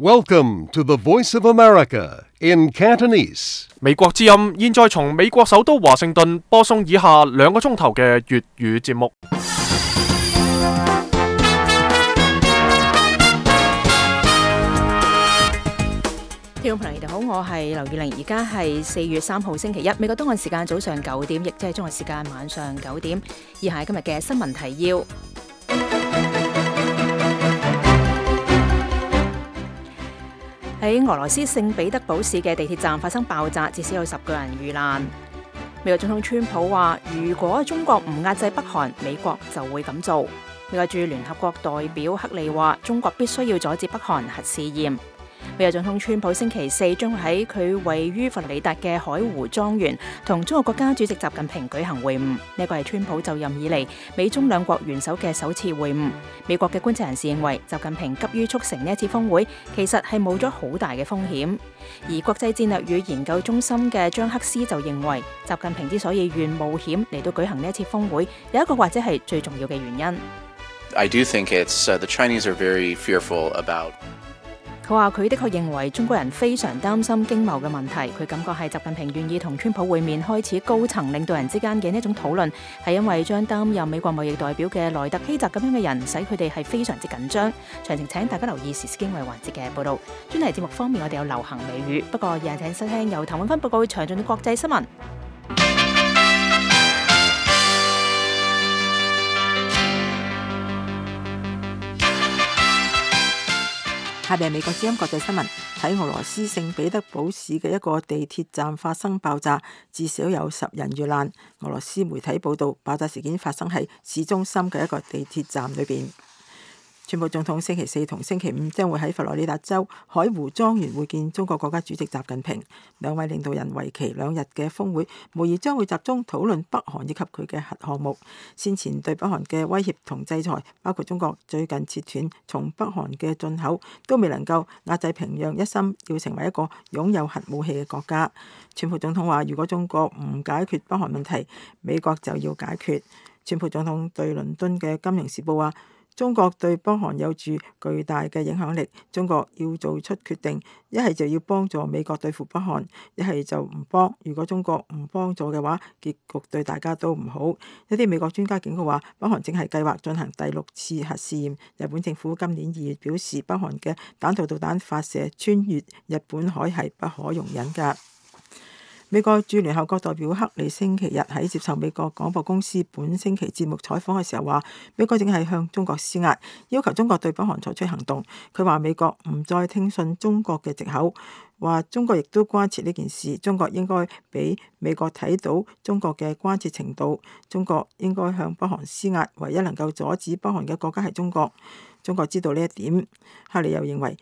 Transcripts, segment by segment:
Welcome to the Voice of America in Cantonese. 美國之音現在從美國首都華盛頓播送以下2個鐘頭嘅粵語節目。聽眾朋友，你哋好，我係劉月玲，而家係4月3號星期一，美國東岸時間早上9點，亦即係中國時間晚上9點。以下係今日嘅新聞提要。喺俄羅斯聖彼得堡市嘅地鐵站發生爆炸，至少有10個人遇難。美國總統川普話，如果中國唔壓制北韓，美國就會咁做。美國駐聯合國代表克利話，中國必須要阻止北韓核試驗。美國總統川普星期四將會喺佢位於佛羅里達嘅海湖莊園同中國國家主席習近平舉行會晤，呢個係川普就任以嚟美中兩國元首嘅首次會晤。美國嘅觀察人士認為，習近平急於促成呢一次峰會，其實係冒咗好大嘅風險。而國際戰略與研究中心嘅張克斯就認為，習近平之所以願冒險嚟到舉行呢一次峰會，有一個或者係最重要嘅原因。I do think it's the Chinese are very fearful about。佢話佢的確認為中國人非常擔心經貿嘅問題，佢感覺係習近平願意同川普會面，開始高層領導人之間嘅呢一種討論，係因為將擔任美國貿易代表嘅萊特希澤咁樣嘅人，使佢哋係非常之緊張。詳情請大家留意時事經緯環節嘅報導。專題節目方面，我哋有流行美語，不過現在請收聽由譚永芬報告詳盡嘅國際新聞。下邊係美國之音國際新聞。喺俄羅斯聖彼得堡市嘅一個地鐵站發生爆炸，至少有10人遇難。俄羅斯媒體報道，爆炸事件發生喺市中心嘅一個地鐵站裏邊。川普總統星期四同星期五將會喺佛羅里達州海湖莊園會見中國國家主席習近平，兩位領導人為期2日嘅峰會，無疑將會集中討論北韓以及佢嘅核項目。先前對北韓嘅威脅同制裁，包括中國最近切斷從北韓嘅進口，都未能夠壓制平壤一心要成為一個擁有核武器嘅國家。川普總統話，如果中國唔解決北韓問題，美國就要解決。川普總統對倫敦嘅《金融時報》話，中國對北韓有住巨大嘅影響力，中國要做出決定，一係就要幫助美國對付北韓，一係就唔幫。如果中國唔幫助嘅話，結局對大家都唔好。一啲美國專家警告話，北韓正係計劃進行第6次核試驗。日本政府今年2月表示，北韓嘅彈道導彈發射穿越日本海係不可容忍㗎。美國駐聯合國代表克里星期日喺接受美國廣播公司本星期節目採訪嘅時候話，美國正係向中國施壓，要求中國對北韓採取行動。佢話美國唔再聽信中國嘅藉口，話中國亦都關切呢件事，中國應該俾美國睇到中國嘅關切程度，中國應該向北韓施壓，唯一能夠阻止北韓嘅國家係中國。中國知道呢一點。克里又認為，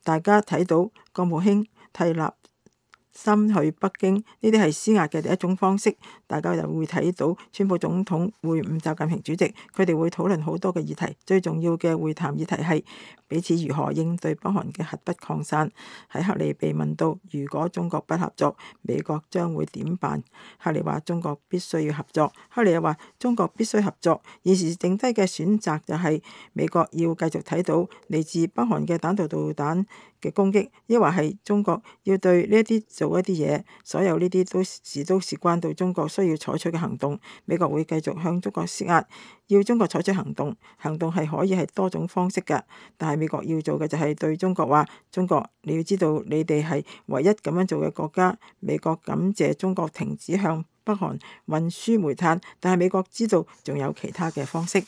大家睇到國務卿蒂勒森去北京，呢啲係施壓嘅第一種方式。大家又會睇到川普總統會晤習近平主席，佢哋會討論好多嘅議題，最重要嘅會談議題係彼此如何應對北韓嘅核不擴散。喺克里被問到如果中國不合作，美國將會點辦？克里話中國必須要合作。克里又話中國必須合作，現時剩低嘅選擇就係美國要繼續睇到嚟自北韓嘅彈道導彈嘅攻擊，抑或係中國要對呢一啲做一啲嘢，所有呢啲都事關到中國需要採取嘅行動。美國會繼續向中國施壓，要中國採取行動。行動係可以係多種方式㗎，但係美國要做嘅就係對中國話：中國你要知道你哋係唯一咁樣做嘅國家。美國感謝中國停止向北韓運輸煤炭，但係美國知道仲有其他嘅方式。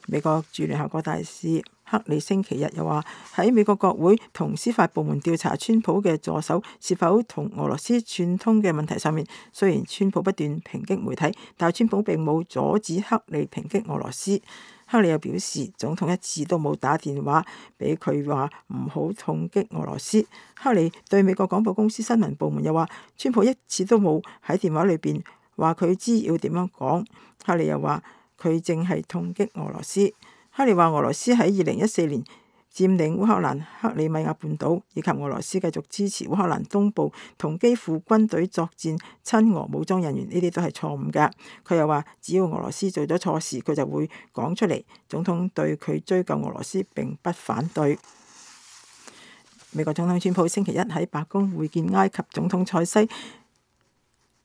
美國駐聯合國大使克里星期日又話，喺美國國會同司法部門調查川普嘅助手是否同俄羅斯串通嘅問題上面，雖然川普不斷抨擊媒體，但係川普並冇阻止克里抨擊俄羅斯。克里又表示，總統一次都冇打電話俾佢話唔好痛擊俄羅斯。克里對美國廣播公司新聞部門又話，川普一次都冇喺電話裏邊話佢知要點樣講。克里又話佢淨係痛擊俄羅斯。克里話俄羅斯喺2014年佔領烏克蘭克里米亞半島，以及俄羅斯繼續支持烏克蘭東部同基輔軍隊作戰親俄武裝人員，呢啲都係錯誤嘅。佢又話，只要俄羅斯做咗錯事，佢就會講出嚟。總統對佢追究俄羅斯並不反對。美國總統川普星期一喺白宮會見埃及總統塞西，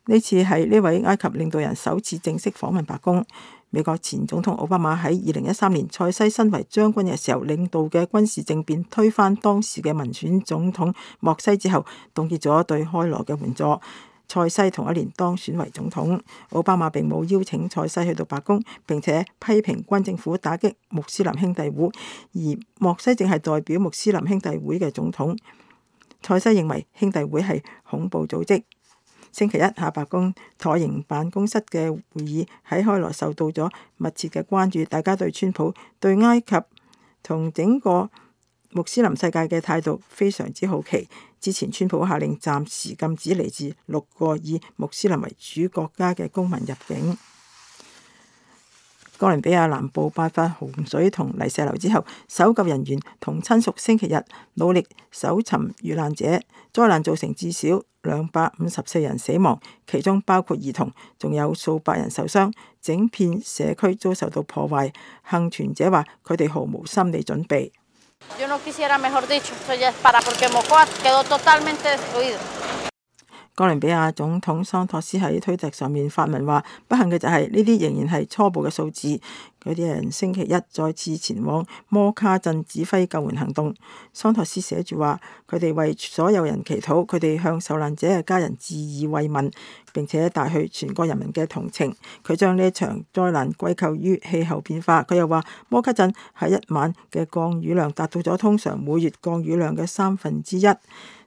呢次係呢位埃及領導人首次正式訪問白宮。美國前總統奧巴馬喺2013年塞西身為將軍嘅時候領導嘅軍事政變推翻當時嘅民選總統莫西之後，凍結咗對開羅嘅援助。塞西同一年當選為總統，奧巴馬並冇邀請塞西去到白宮，並且批評軍政府打擊穆斯林兄弟會，而莫西正係代表穆斯林兄弟會嘅總統。塞西認為兄弟會係恐怖組織。星期一下白宮橢形辦公室嘅會議喺開羅受到咗密切嘅關注，大家對川普對埃及同整個穆斯林世界嘅態度非常之好奇。之前川普下令暫時禁止嚟自6個以穆斯林為主國家嘅公民入境。哥倫比亞南部爆發洪水同泥石流之後，搜救人員同親屬星期日努力搜尋遇難者。災難造成至少254人死亡，其中包括兒童，仲有數百人受傷，整片社區遭受到破壞。幸存者話佢哋毫無心理準備。哥倫比亞總統桑托斯喺推特上面發文話：不幸嘅就係呢啲仍然係初步嘅數字。嗰啲人星期一再次前往摩卡鎮指揮救援行動。桑托斯寫住話：佢哋為所有人祈禱，佢哋向受難者嘅家人致以慰問，並且帶去全國人民嘅同情。佢將呢一場災難歸咎於氣候變化。佢又話：摩卡鎮喺一晚嘅降雨量達到咗通常每月降雨量嘅1/3。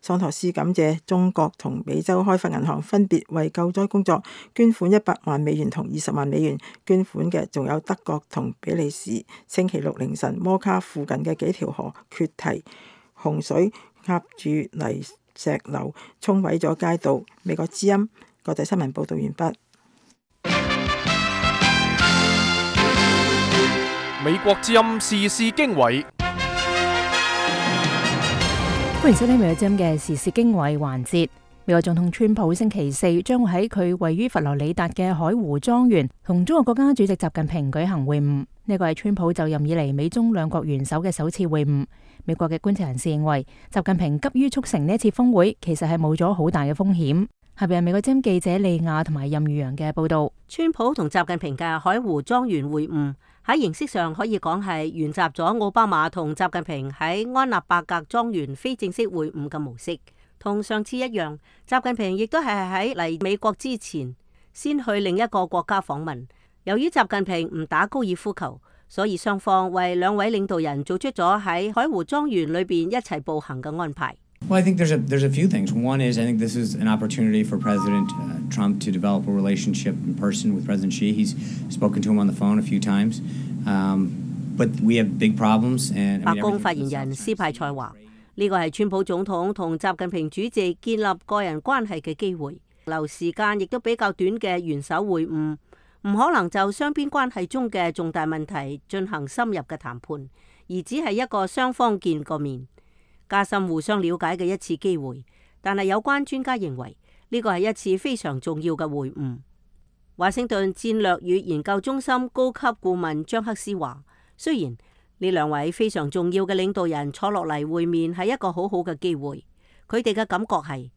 桑托斯感謝中國同美洲開發銀行分別為救災工作捐款100萬美元同20萬美元，捐款嘅仲有德國同比利時。星期六凌晨，摩卡附近嘅幾條河決堤，洪水壓住泥石流，沖毀咗街道。美國之音國際新聞報道完畢。美國之音時事經緯。歡迎收聽美國之音嘅時事經緯環節。美國總統川普星期四將會喺佢位於佛羅里達嘅海湖莊園同中國國家主席習近平舉行會晤。呢個係川普就任以嚟美中兩國元首嘅首次會晤。美國嘅觀察人士認為，習近平急於促成呢一次峰會，其實係冒咗好大嘅風險。下邊係美國之音記者利亞同埋任宇陽嘅報道。川普同習近平嘅海湖莊園會晤喺形式上可以講係沿襲咗奧巴馬同習近平喺安納伯格莊園非正式會晤嘅模式。同上次一樣，習近平亦都係喺嚟美國之前先去另一個國家訪問。由於習近平唔打高爾夫球，所以雙方為兩位領導人做出咗喺海湖莊園裏邊一齊步行嘅安排。Well, I think there's a few things. One is I think this is an opportunity for President Trump to develop a relationship in person with President Xi. He's spoken to him on the phone a few times, but we have big problems. And 白宮發言人斯派塞話：呢個係川普總統同習近平主席建立個人關係嘅機會，留時間亦都比較短嘅元首會晤，唔可能就雙邊關係中嘅重大問題進行深入嘅談判，而只係一個雙方見個面，加深互相了解嘅一次機會。但係有關專家認為呢個係一次非常重要嘅會晤。華盛頓戰略與研究中心高級顧問張克斯話：雖然呢兩位非常重要嘅領導人坐落嚟會面係一個好好嘅機會，佢哋嘅感覺係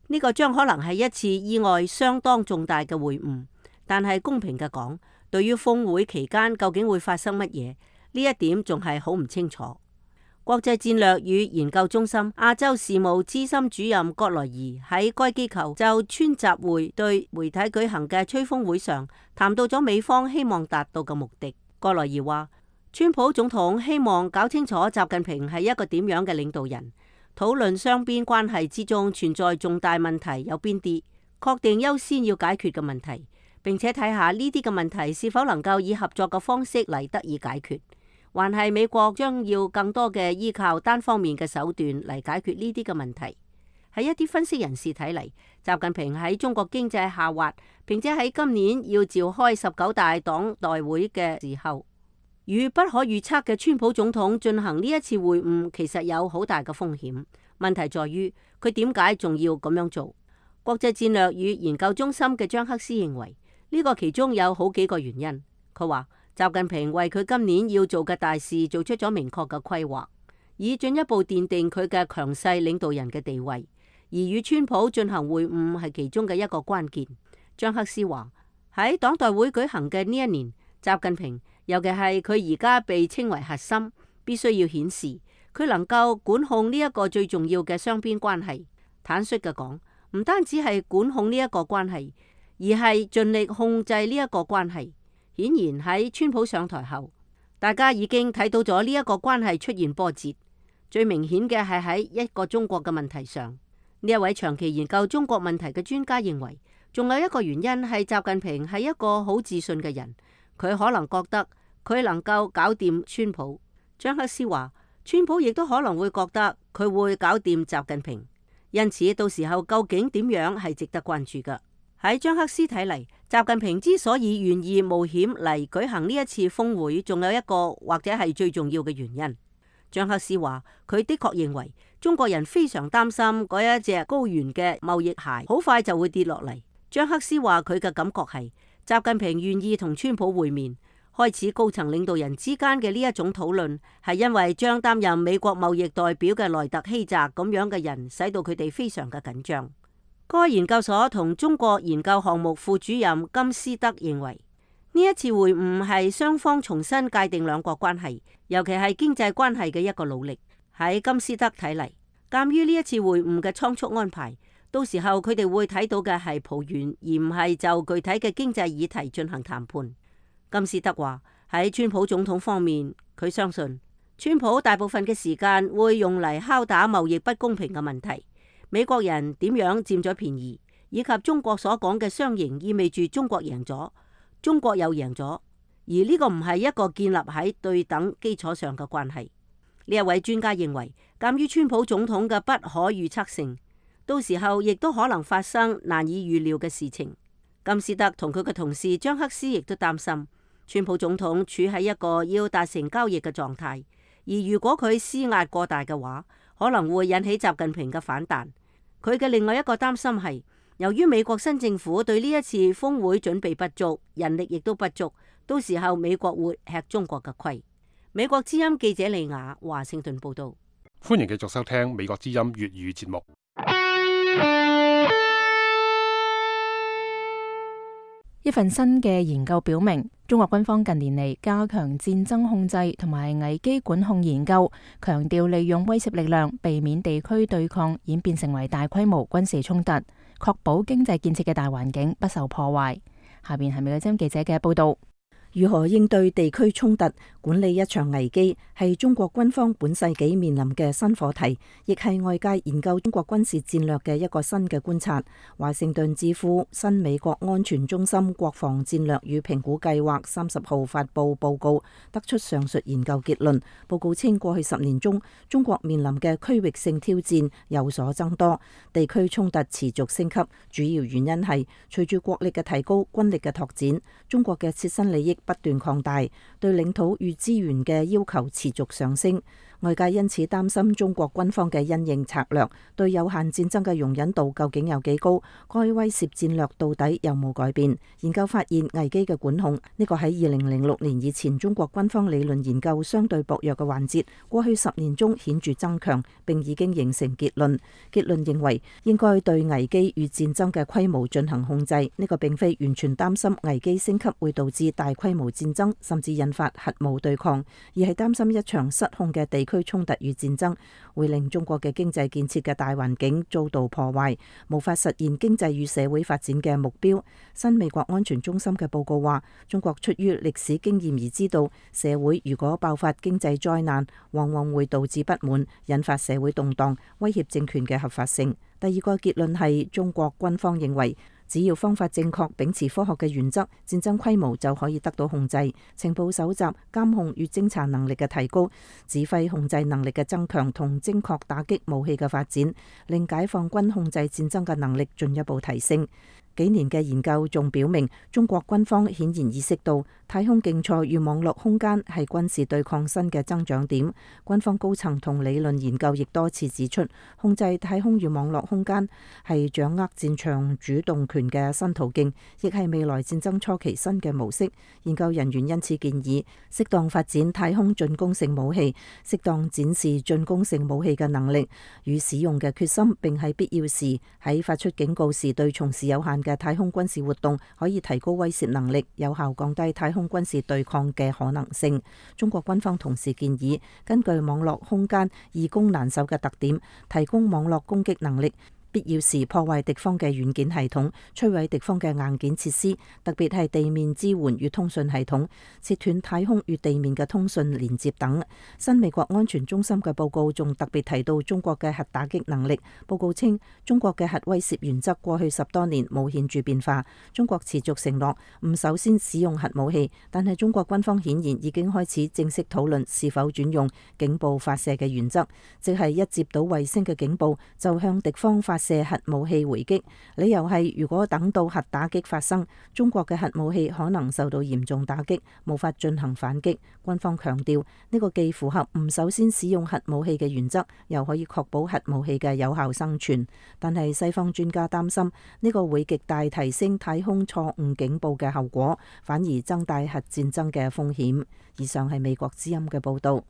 呢個將可能係一次意外相當重大嘅會晤。但係公平嘅講，對於峰會期間究竟會發生乜嘢，呢一點仲係好唔清楚。國際戰略與研究中心亞洲事務資深主任葛萊儀喺該機構就川習會對媒體舉行嘅吹風會上談到咗美方希望達到嘅目的。葛萊儀話：川普總統希望搞清楚習近平係一個點樣嘅領導人，討論雙邊關係之中存在重大問題有邊啲，確定優先要解決嘅問題，並且睇下呢啲嘅問題是否能夠以合作嘅方式嚟得以解決，還係美國將要更多嘅依靠單方面嘅手段嚟解決呢啲嘅問題。喺一啲分析人士睇嚟，習近平喺中國經濟下滑，並且喺今年要召開19大黨代會嘅時候，與不可預測嘅川普總統進行呢一次會晤，其實有好大嘅風險。問題在於佢點解仲要咁樣做？國際戰略與研究中心嘅張克斯認為呢個其中有好幾個原因。佢話習近平為佢今年要做嘅大事做出咗明確嘅規劃，以進一步奠定佢嘅強勢領導人嘅地位。而與川普進行會晤係其中嘅一個關鍵。張克斯話喺黨代會舉行嘅呢一年，習近平尤其係佢而家被稱為核心，必須要顯示佢能夠管控呢一個最重要嘅雙邊關係。坦率嘅講，唔單止係管控呢一個關係，而係盡力控制呢一個關係。顯然喺川普上台後，大家已經睇到咗呢一個關係出現波折。最明顯嘅係喺一個中國嘅問題上。呢一位長期研究中國問題嘅專家認為，仲有一個原因係習近平係一個好自信嘅人，佢可能覺得佢能夠搞掂川普。張克斯話，川普亦都可能會覺得佢會搞掂習近平，因此到時候究竟點樣係值得關注㗎。喺張克斯睇嚟，習近平之所以願意冒險嚟舉行呢一次峰會，仲有一個或者係最重要嘅原因。張克斯話，佢的確認為中國人非常擔心嗰一隻高懸嘅貿易鞋好快就會跌落嚟。張克斯話佢嘅感覺係習近平願意同川普會面，開始高層領導人之間嘅呢一種討論，係因為將擔任美國貿易代表嘅萊特希澤咁樣嘅人，使到佢哋非常嘅緊張。該研究所同中國研究項目副主任金斯德認為，呢一次會晤係雙方重新界定兩國關係，尤其係經濟關係嘅一個努力。喺金斯德睇嚟，鑒於呢一次會晤嘅倉促安排，到時候佢哋會睇到嘅係抱怨，而唔係就具體嘅經濟議題進行談判。金斯德話喺川普總統方面，佢相信川普大部分嘅時間會用嚟敲打貿易不公平嘅問題，美國人點樣佔咗便宜，以及中國所講嘅雙贏意味住中國贏咗，中國又贏咗，而呢個唔係一個建立喺對等基礎上嘅關係。呢一位專家認為，鑒於川普總統嘅不可預測性，到時候亦都可能發生難以預料嘅事情。金斯德同佢嘅同事張克斯亦都擔心，川普總統處喺一個要達成交易嘅狀態，而如果佢施壓過大嘅話，可能會引起習近平嘅反彈。佢嘅另外一個擔心係，由於美國新政府對呢一次峰會準備不足，人力亦都不足，到時候美國會吃中國嘅虧。美國之音記者利亞華盛頓報道。歡迎繼續收聽美國之音粵語節目。一份新嘅研究表明，中國軍方近年嚟加強戰爭控制同埋危機管控研究，強調利用威懾力量避免地區對抗演變成為大規模軍事衝突，確保經濟建設嘅大環境不受破壞。下邊係美國之音記者嘅報道。如何應對地區衝突、管理一場危機，係中國軍方本世紀面臨嘅新課題，亦係外界研究中國軍事戰略嘅一個新嘅觀察。華盛頓智庫新美國安全中心國防戰略與評估計劃30號發布報告，得出上述研究結論。報告稱，過去10年中，中國面臨嘅區域性挑戰有所增多，地區衝突持續升級。主要原因係隨住國力嘅提高、軍力嘅拓展，中國嘅切身利益不斷擴大，對領土與資源嘅要求持續上升。外界因此擔心中國軍方嘅因應策略對有限戰爭嘅容忍度究竟有幾高，該威懾戰略到底有冇改變。研究發現，危機嘅管控呢個喺2006年以前中國軍方理論研究相對薄弱嘅環節，過去10年中顯著增強，並已經形成結論。結論認為應該對危機與戰爭嘅規模進行控制，呢個並非完全擔心危機升級會導致大規模戰爭，甚至引發核武對抗，而係擔心一場失控嘅地區衝突與戰爭會令中國嘅經濟建設嘅大環境遭到破壞，無法實現經濟與社會發展嘅目標。新美國安全中心嘅報告話，中國出於歷史經驗而知道，社會如果爆發經濟災難，往往會導致不滿，引發社會動盪，威脅政權嘅合法性。第二個結論係，中國軍方認為，只要方法正確，秉持科學嘅原則，戰爭規模就可以得到控制。情報搜集、監控與偵查能力嘅提高，指揮控制能力嘅增強同精確打擊武器嘅發展，令解放軍控制戰爭嘅能力進一步提升。幾年嘅研究仲表明，中國軍方顯然意識到太空競賽與網絡空間係軍事對抗新嘅增長點。軍方高層同理論研究亦多次指出，控制太空與網絡空間係掌握戰場主動權嘅新途徑，亦係未來戰爭初期新嘅模式。研究人員因此建議，適當發展太空進攻性武器，適當展示進攻性武器嘅能力與使用嘅決心，並喺必要時喺發出警告時對從事有限嘅太空軍事活動可以提高威懾能力，有效降低太空軍事對抗嘅可能性。中國軍方同時建議，根據網絡空間易攻難守嘅特點，提供網絡攻擊能力，必要時破壞敵方嘅軟件系統，摧毀敵方嘅硬件設施，特別係地面支援與通訊系統，切斷太空與地面嘅通訊連接等。新美國安全中心嘅報告仲特別提到中國嘅核打擊能力。報告稱，中國嘅核威懾原則過去10多年冇顯著變化。中國持續承諾唔首先使用核武器，但係中國軍方顯然已經開始正式討論是否轉用警報發射嘅原則，即係一接到衛星嘅警報就向敵方發射核武器回擊。理由係如果等到核打擊發生，中國嘅核武器可能受到嚴重打擊，無法進行反擊。軍方強調呢個既符合唔首先使用核武器嘅原則，又可以確保核武器嘅有效生存。但係西方專家擔心呢個會極大提升太空錯誤警報嘅後果，反而增大核戰爭嘅風險。以上係美國之音嘅報道。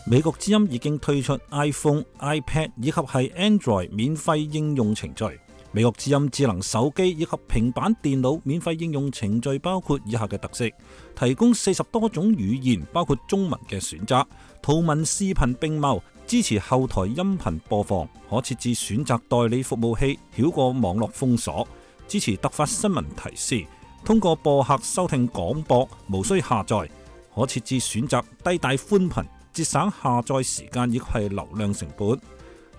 美國之音已經推出 iPhone、iPad 以及係 Android 免費應用程序。美國之音智能手機以及平板電腦免費應用程序包括以下嘅特色：提供40多種語言，包括中文嘅選擇，圖文視頻並茂，支持後台音頻播放，可設置選擇代理服務器，繞過網絡封鎖，支持突發新聞提示，通過播客收聽廣播，無需下載，可設置選擇低帶寬頻，節省下載時間以及係流量成本，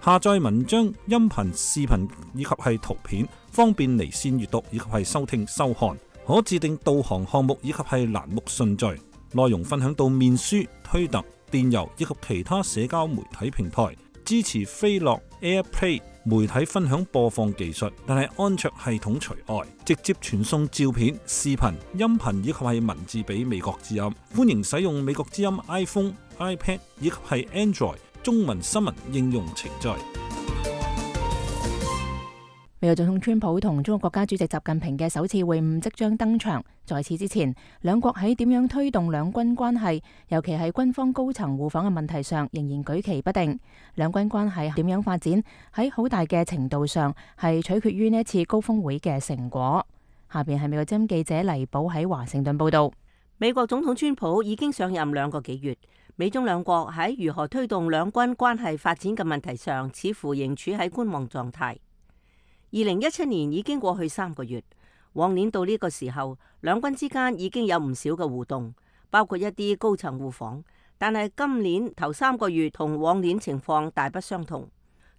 下載文章、音頻、視頻以及係圖片，方便離線閱讀以及係收聽收看，可自定導航項目以及係欄目順序，內容分享到面書、推特、電郵以及其他社交媒體平台，支持飛樂、AirPlay 媒體分享播放技術，但係安卓系統除外，直接傳送照片、視頻、音頻以及係文字俾美國之音。歡迎使用美國之音 iPhone、iPad 以及係 Android 中文新聞應用程序。美國總統川普同中國國家主席習近平嘅首次會晤即將登場。在此之前，兩國喺點樣推動兩軍關係，尤其係軍方高層互訪嘅問題上，仍然舉棋不定。兩軍關係點樣發展，喺好大嘅程度上係取決於呢一次高峰會嘅成果。下邊係美國之音記者黎寶喺華盛頓報道。美國總統川普已經上任2個幾月，美中兩國喺如何推動兩軍關係發展嘅問題上，似乎仍處喺觀望狀態。2017年已經過去3個月，往年到呢個時候，兩軍之間已經有唔少嘅互動，包括一啲高層互訪。但係今年頭3個月同往年情況大不相同。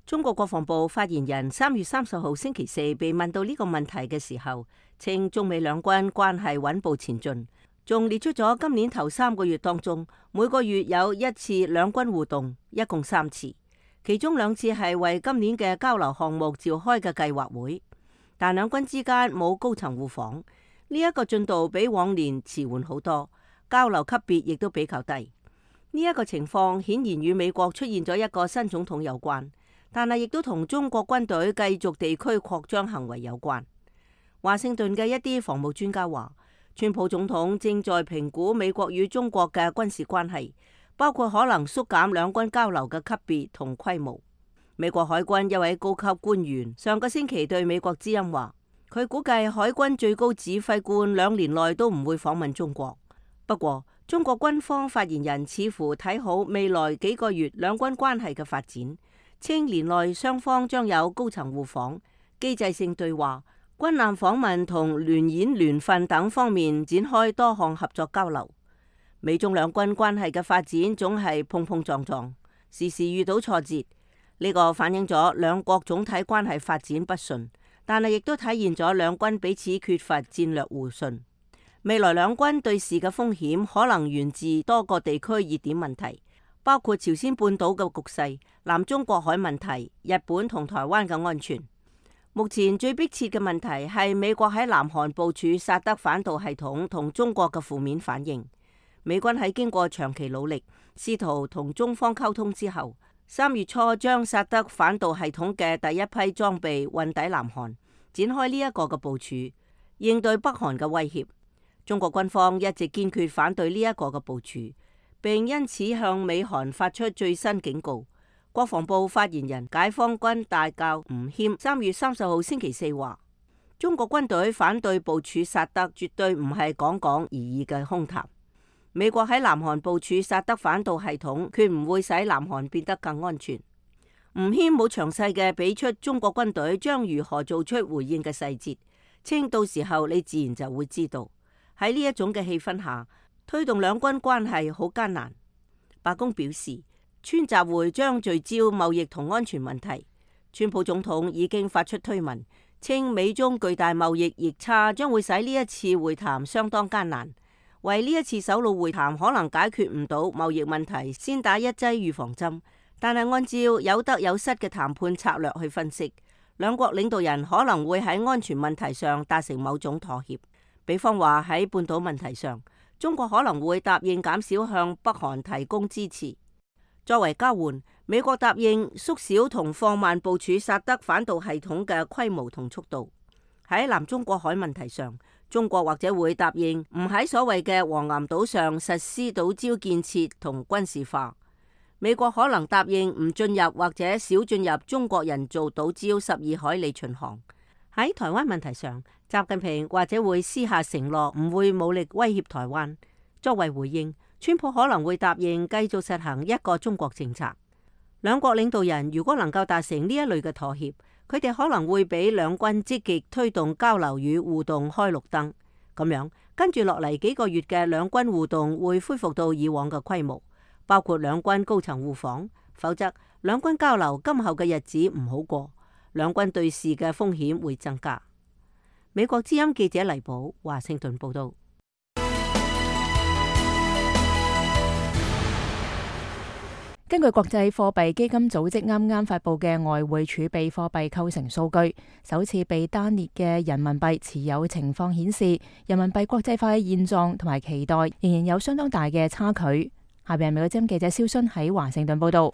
中國國防部發言人3月30號星期四被問到呢個問題嘅時候，稱中美兩軍關係穩步前進，仲列出咗今年頭3個月當中每個月有1次兩軍互動，一共3次。其中2次係為今年嘅交流項目召開嘅計劃會，但兩軍之間冇高層互訪，呢一個進度比往年遲緩好多，交流級別亦都比較低。呢一個情況顯然與美國出現咗一個新總統有關，但係亦都同中國軍隊繼續地區擴張行為有關。華盛頓嘅一啲防務專家話，川普總統正在評估美國與中國嘅軍事關係，包括可能縮減兩軍交流嘅級別同規模。美國海軍一位高級官員上個星期對美國之音話，佢估計海軍最高指揮官2年內都唔會訪問中國。不過，中國軍方發言人似乎睇好未來幾個月兩軍關係嘅發展，稱年內雙方將有高層互訪、機制性對話、軍艦訪問同聯演聯訓等方面展開多項合作交流。美中兩軍關係嘅發展總係碰碰撞撞，時時遇到挫折。呢個反映咗兩國總體關係發展不順，但係亦都體現咗兩軍彼此缺乏戰略互信。未來兩軍對峙嘅風險可能源自多個地區熱點問題，包括朝鮮半島嘅局勢、南中國海問題、日本同台灣嘅安全。目前最迫切嘅問題係美國喺南韓部署薩德反導系統同中國嘅負面反應。美軍喺經過長期努力，試圖同中方溝通之後，3月初將薩德反導系統嘅第一批裝備運抵南韓，展開呢一個嘅部署，應對北韓嘅威脅。中國軍方一直堅決反對呢一個嘅部署，並因此向美韓發出最新警告。國防部發言人解放軍大校吳謙3月30號星期四話，中國軍隊反對部署薩德絕對唔係講講而已嘅空談。美國喺南韓部署薩德反導系統，決唔會使南韓變得更安全。吳謙冇詳細嘅俾出中國軍隊將如何做出回應嘅細節，稱到時候你自然就會知道。喺呢一種嘅氣氛下，推動兩軍關係好艱難。白宮表示，川習會將聚焦貿易同安全問題。川普總統已經發出推文，稱美中巨大貿易逆差將會使呢一次會談相當艱難。為呢一次首腦會談可能解決唔到貿易問題，先打一劑預防針。但係按照有得有失嘅談判策略去分析，兩國領導人可能會喺安全問題上達成某種妥協。比方話喺半島問題上，中國可能會答應減少向北韓提供支持。作為交換，美國答應縮小同放慢部署薩德反導系統嘅規模同速度。喺南中國海問題上，中國或者會答應唔喺所謂嘅黃岩島上實施島礁建設同軍事化。美國可能答應唔進入或者少進入中國人造島礁12海里巡航。喺台灣問題上，習近平或者會私下承諾唔會武力威脅台灣。作為回應，川普可能會答應繼續實行一個中國政策。兩國領導人如果能夠達成呢一類嘅妥協，佢哋可能會俾兩軍積極推動交流與互動開綠燈。咁樣跟住落嚟幾個月嘅兩軍互動會恢復到以往嘅規模，包括兩軍高層互訪。否則兩軍交流今後嘅日子唔好過，兩軍對峙嘅風險會增加。美國之音記者黎寶華盛頓報道。根據國際貨幣基金組織啱啱發佈嘅外匯儲備貨幣構成數據，首次被單列嘅人民幣持有情況顯示，人民幣國際化嘅現狀同埋期待仍然有相當大嘅差距。下邊係美國之音記者蕭순喺華盛頓報道。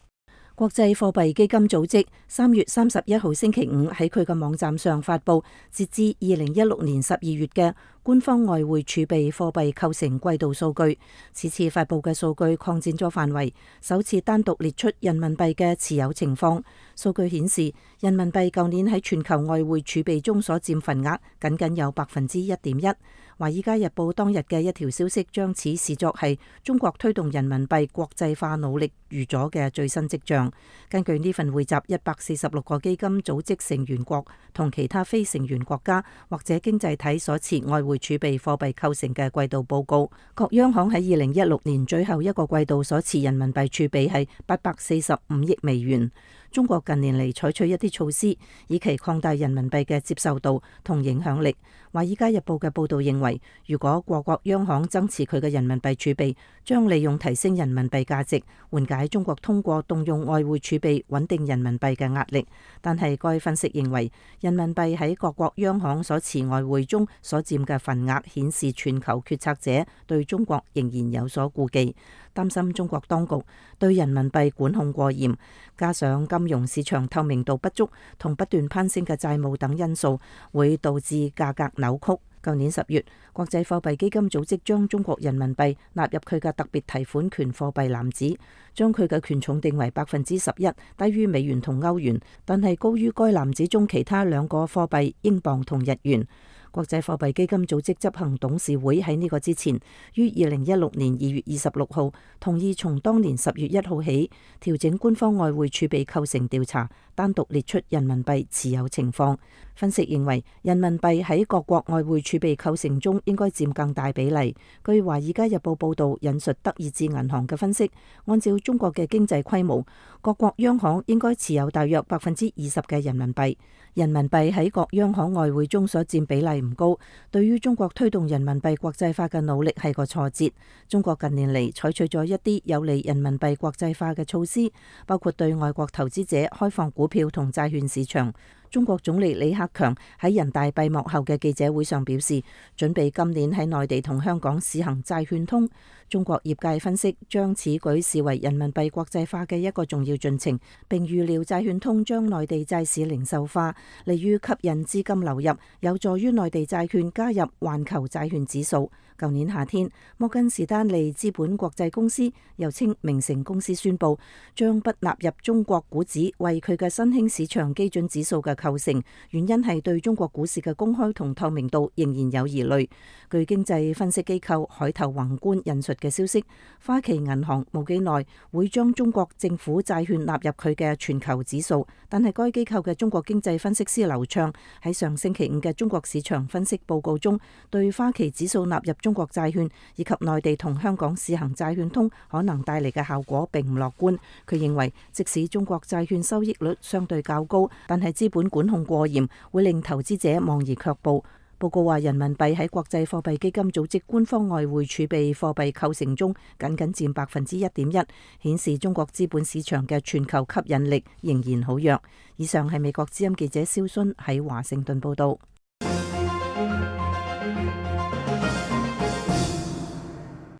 國際貨幣基金組織3月31號星期五喺佢嘅網站上發佈截至2016年12月嘅官方外匯儲備貨幣構成季度數據。此次發佈嘅數據擴展咗範圍，首次單獨列出人民幣嘅持有情況。數據顯示，人民幣舊年喺全球外匯儲備中所佔份額僅僅有1.1%。華爾街日報當日嘅一條消息將此視作係中國推動人民幣國際化努力預咗嘅最新跡象。根據呢份匯集146個基金組織成員國同其他非成員國家或者經濟體所持外匯儲備貨幣構成嘅季度報告，各央行喺2016年最後一個季度所持人民幣儲備係845億美元。中國近年嚟採取一啲措施，以期擴大人民幣嘅接受度同影響力。華爾街日報嘅報導認為，如果各國央行增持佢嘅人民幣儲備，將利用提升人民幣價值，緩解中國通過動用外匯儲備穩定人民幣嘅壓力。但係該分析認為，人民幣喺各國央行所持外匯中所佔嘅份額顯示全球決策者對中國仍然有所顧忌，擔心中國當局對人民幣管控過嚴，加上金融市場透明度不足同不斷攀升嘅債務等因素，會導致價格扭曲。舊年10月，國際貨幣基金組織將中國人民幣納入佢嘅特別提款權貨幣籃子，將佢嘅權重定為11%，低於美元同歐元，但係高於該籃子中其他兩個貨幣英鎊同日元。國際貨幣基金組織執行董事會喺呢個之前，於2016年2月26號同意從當年10月1號起調整官方外匯儲備構成調查，單獨列出人民幣持有情況。分析認為，人民幣喺各國外匯儲備構成中應該佔更大比例。據華爾街日報報導引述德意志銀行嘅分析，按照中國嘅經濟規模，各國央行應該持有大約20%嘅人民幣。人民幣喺各央行外匯中所佔比例唔高，對於中國推動人民幣國際化嘅努力係個挫折。中國近年嚟採取咗一啲有利人民幣國際化嘅措施，包括對外國投資者開放股票同債券市場。中國總理李克強喺人大閉幕後嘅記者會上表示，準備今年喺內地同香港試行債券通。中國業界分析將此舉視為人民幣國際化嘅一個重要進程，並預料債券通將內地債市零售化，利於吸引資金流入，有助於內地債券加入環球債券指數。舊年夏天，摩根士丹利資本國際公司又稱明晟公司宣布將不納入中國股指為佢嘅新興市場基準指數嘅構成，原因係對中國股市嘅公開同透明度仍然有疑慮。據經濟分析機構海頭宏觀引述嘅消息，花旗銀行冇幾耐會將中國政府債券納入佢嘅全球指數，但係該機構嘅中國經濟分析師劉暢喺上星期五嘅中國市場分析報告中，對花旗指數納入中國債券以及內地同香港試行債券通可能帶嚟嘅效果並唔樂觀。佢認為，即使中國債券收益率相對較高，但係資本管控過嚴，會令投資者望而卻步。報告話，人民幣喺國際貨幣基金組織官方外匯儲備貨幣構成中僅僅佔1.1%，顯示中國資本市場嘅全球吸引力仍然好弱。以上係美國之音記者蕭순喺華盛頓報道。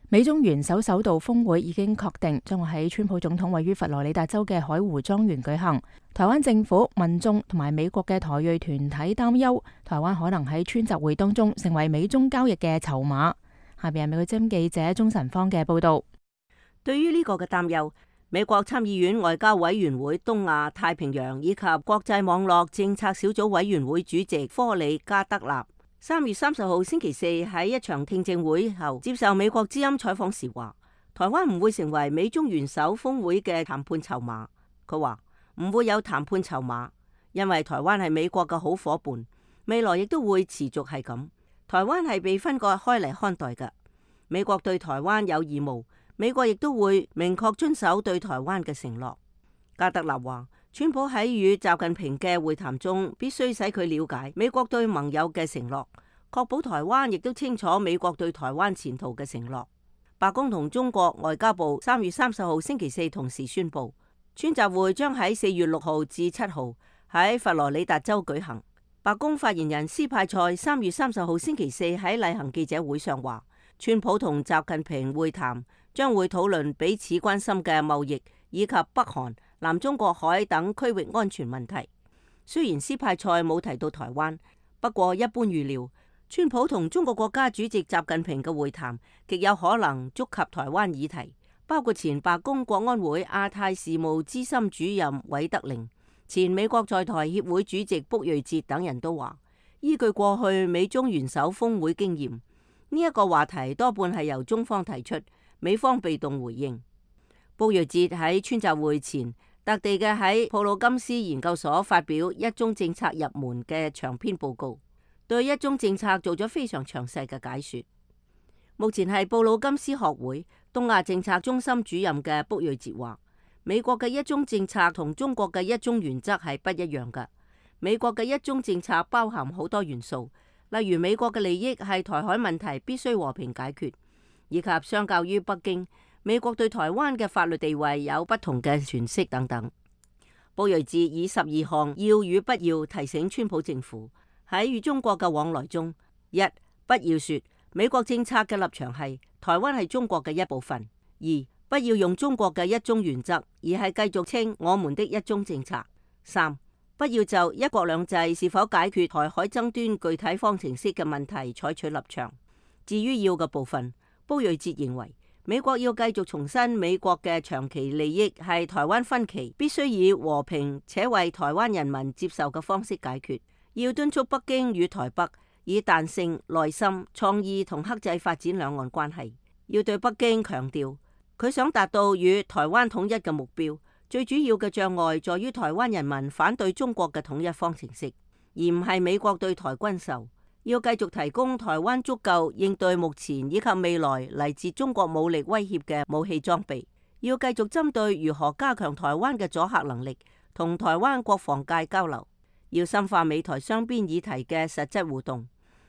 美中元首首度峰會已經確定，將會喺川普總統位於佛羅里達州嘅海湖莊園舉行。台灣政府、民眾同埋美國嘅台裔團體擔憂，台灣可能喺川集會當中成為美中交易嘅籌碼。下邊係美國之音記者鍾晨芳嘅報道。對於呢個嘅擔憂，美國參議院外交委員會東亞太平洋以及國際網絡政策小組委員會主席科里加德納3月30號星期四喺一場聽證會後接受美國之音採訪時話，台灣唔會成為美中元首峰會嘅談判籌碼。佢話唔會有談判籌碼，因為台灣係美國嘅好伙伴，未來亦都會持續係咁。台灣係被分割開嚟看待嘅，美國對台灣有義務，美國亦都會明確遵守對台灣嘅承諾。加德納話，川普喺與習近平嘅會談中，必須使佢了解美國對盟友嘅承諾，確保台灣亦都清楚美國對台灣前途嘅承諾。白宮同中國外交部3月30號星期四同時宣布，川習會將喺4月6號至7號喺佛羅里達州舉行。白宮發言人斯派塞3月30號星期四喺例行記者會上話，川普同習近平會談將會討論彼此關心嘅貿易以及北韓、南中國海等區域安全問題。雖然斯派塞冇提到台灣，不過一般預料，川普同中國國家主席習近平嘅會談極有可能觸及台灣議題，包括前白宮國安會亞太事務資深主任韋德寧、前美國在台協會主席卜瑞哲等人都話，依據過去美中元首峰會經驗，呢一個話題多半係由中方提出，美方被動回應。卜瑞哲喺川習會前特地嘅喺普魯金斯研究所發表一中政策入門嘅長篇報告，對一中政策做咗非常詳細嘅解說。目前係布魯金斯學會東亞政策中心主任嘅卜瑞哲話，美國嘅一中政策同中國嘅一中原則係不一樣嘅。美國嘅一中政策包含好多元素，例如美國嘅利益係台海問題必須和平解決，以及相較於北京，美國對台灣嘅法律地位有不同嘅詮釋等等。卜瑞哲以12項要與不要提醒川普政府喺與中國嘅往來中：一、不要說美國政策嘅立場係台灣係中國嘅一部分；二、不要用中國嘅一中原則，而係繼續稱我們的一中政策；三、不要就一國兩制是否解決台海爭端具體方程式嘅問題採取立場。至於要嘅部分，卜瑞哲認為，美國要繼續重申美國嘅長期利益係台灣分歧必須以和平且為台灣人民接受嘅方式解決，要敦促北京與台北以彈性、耐心、創意同克制發展兩岸關係，要對北京強調佢想達到與台灣統一嘅目標，最主要嘅障礙在於台灣人民反對中國嘅統一方程式，而唔係美國對台軍售。要繼續提供台灣足夠應對目前以及未來嚟自中國武力威脅嘅武器裝備，要繼續針對如何加強台灣嘅阻嚇能力，同台灣國防界交流，要深化美台雙邊議題嘅實質互動，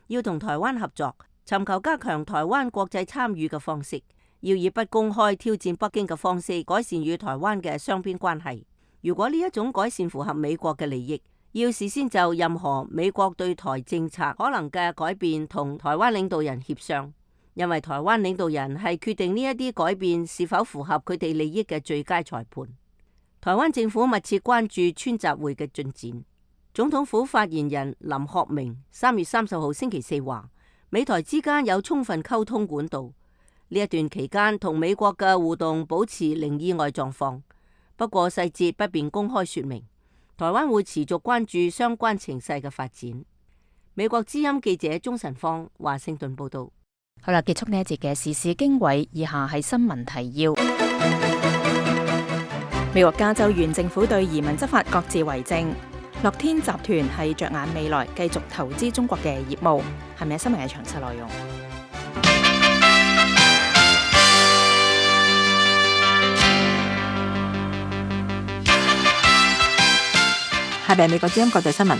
要同台灣合作，尋求加強台灣國際參與嘅方式，要以不公開挑戰北京嘅方式改善與台灣嘅雙邊關係。如果呢一種改善符合美國嘅利益，要事先就任何美國對台政策可能嘅改變同台灣領導人協商，因為台灣領導人係決定呢一啲改變是否符合佢哋利益嘅最佳裁判。台灣政府密切關注川習會嘅進展。總統府發言人林學明3月30號星期四話，美台之間有充分溝通管道，呢一段期間同美國嘅互動保持零意外狀況，不過細節不便公開說明。台灣會持續關注相關情勢嘅發展。美國之音記者鍾晨芳華盛頓報道。好啦，結束呢一節嘅時事經緯，以下係新聞提要。美國加州縣政府對移民執法各自為政。樂天集團係着眼未來，繼續投資中國嘅業務。係咪新聞嘅詳細內容？下邊美國之音國際新聞，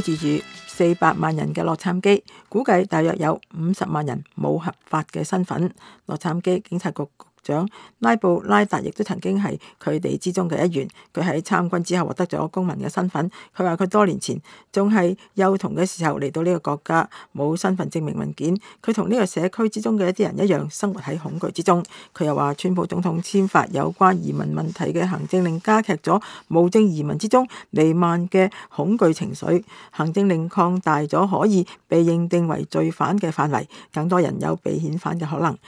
居住住400萬人嘅洛杉磯，估計大約有50萬人冇合法嘅身份。洛杉磯警察局局長拉布拉達亦都曾經係佢哋之中嘅一員。佢喺參軍之後獲得咗公民嘅身份。佢話佢多年前仲係幼童嘅時候嚟到呢個國家，冇身份證明文件。佢同呢個社區之中嘅一啲人一樣，生活喺恐懼之中。佢又話川普總統簽發有關移民問題嘅行政令，加劇咗無證移民之中彌漫嘅恐懼情緒。行政令擴大咗可以被認定為罪犯嘅範圍，更多人有被遣返嘅可能。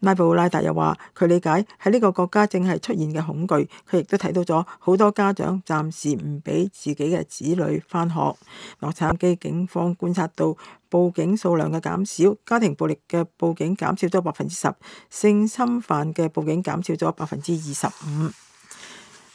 拉布拉達又話佢理解喺呢個國家正係出現嘅恐懼，佢亦都睇到咗好多家長暫時唔俾自己嘅子女返學。洛杉磯警方觀察到報警數量嘅減少，家庭暴力嘅報警減少咗10%，性侵犯嘅報警減少咗25%。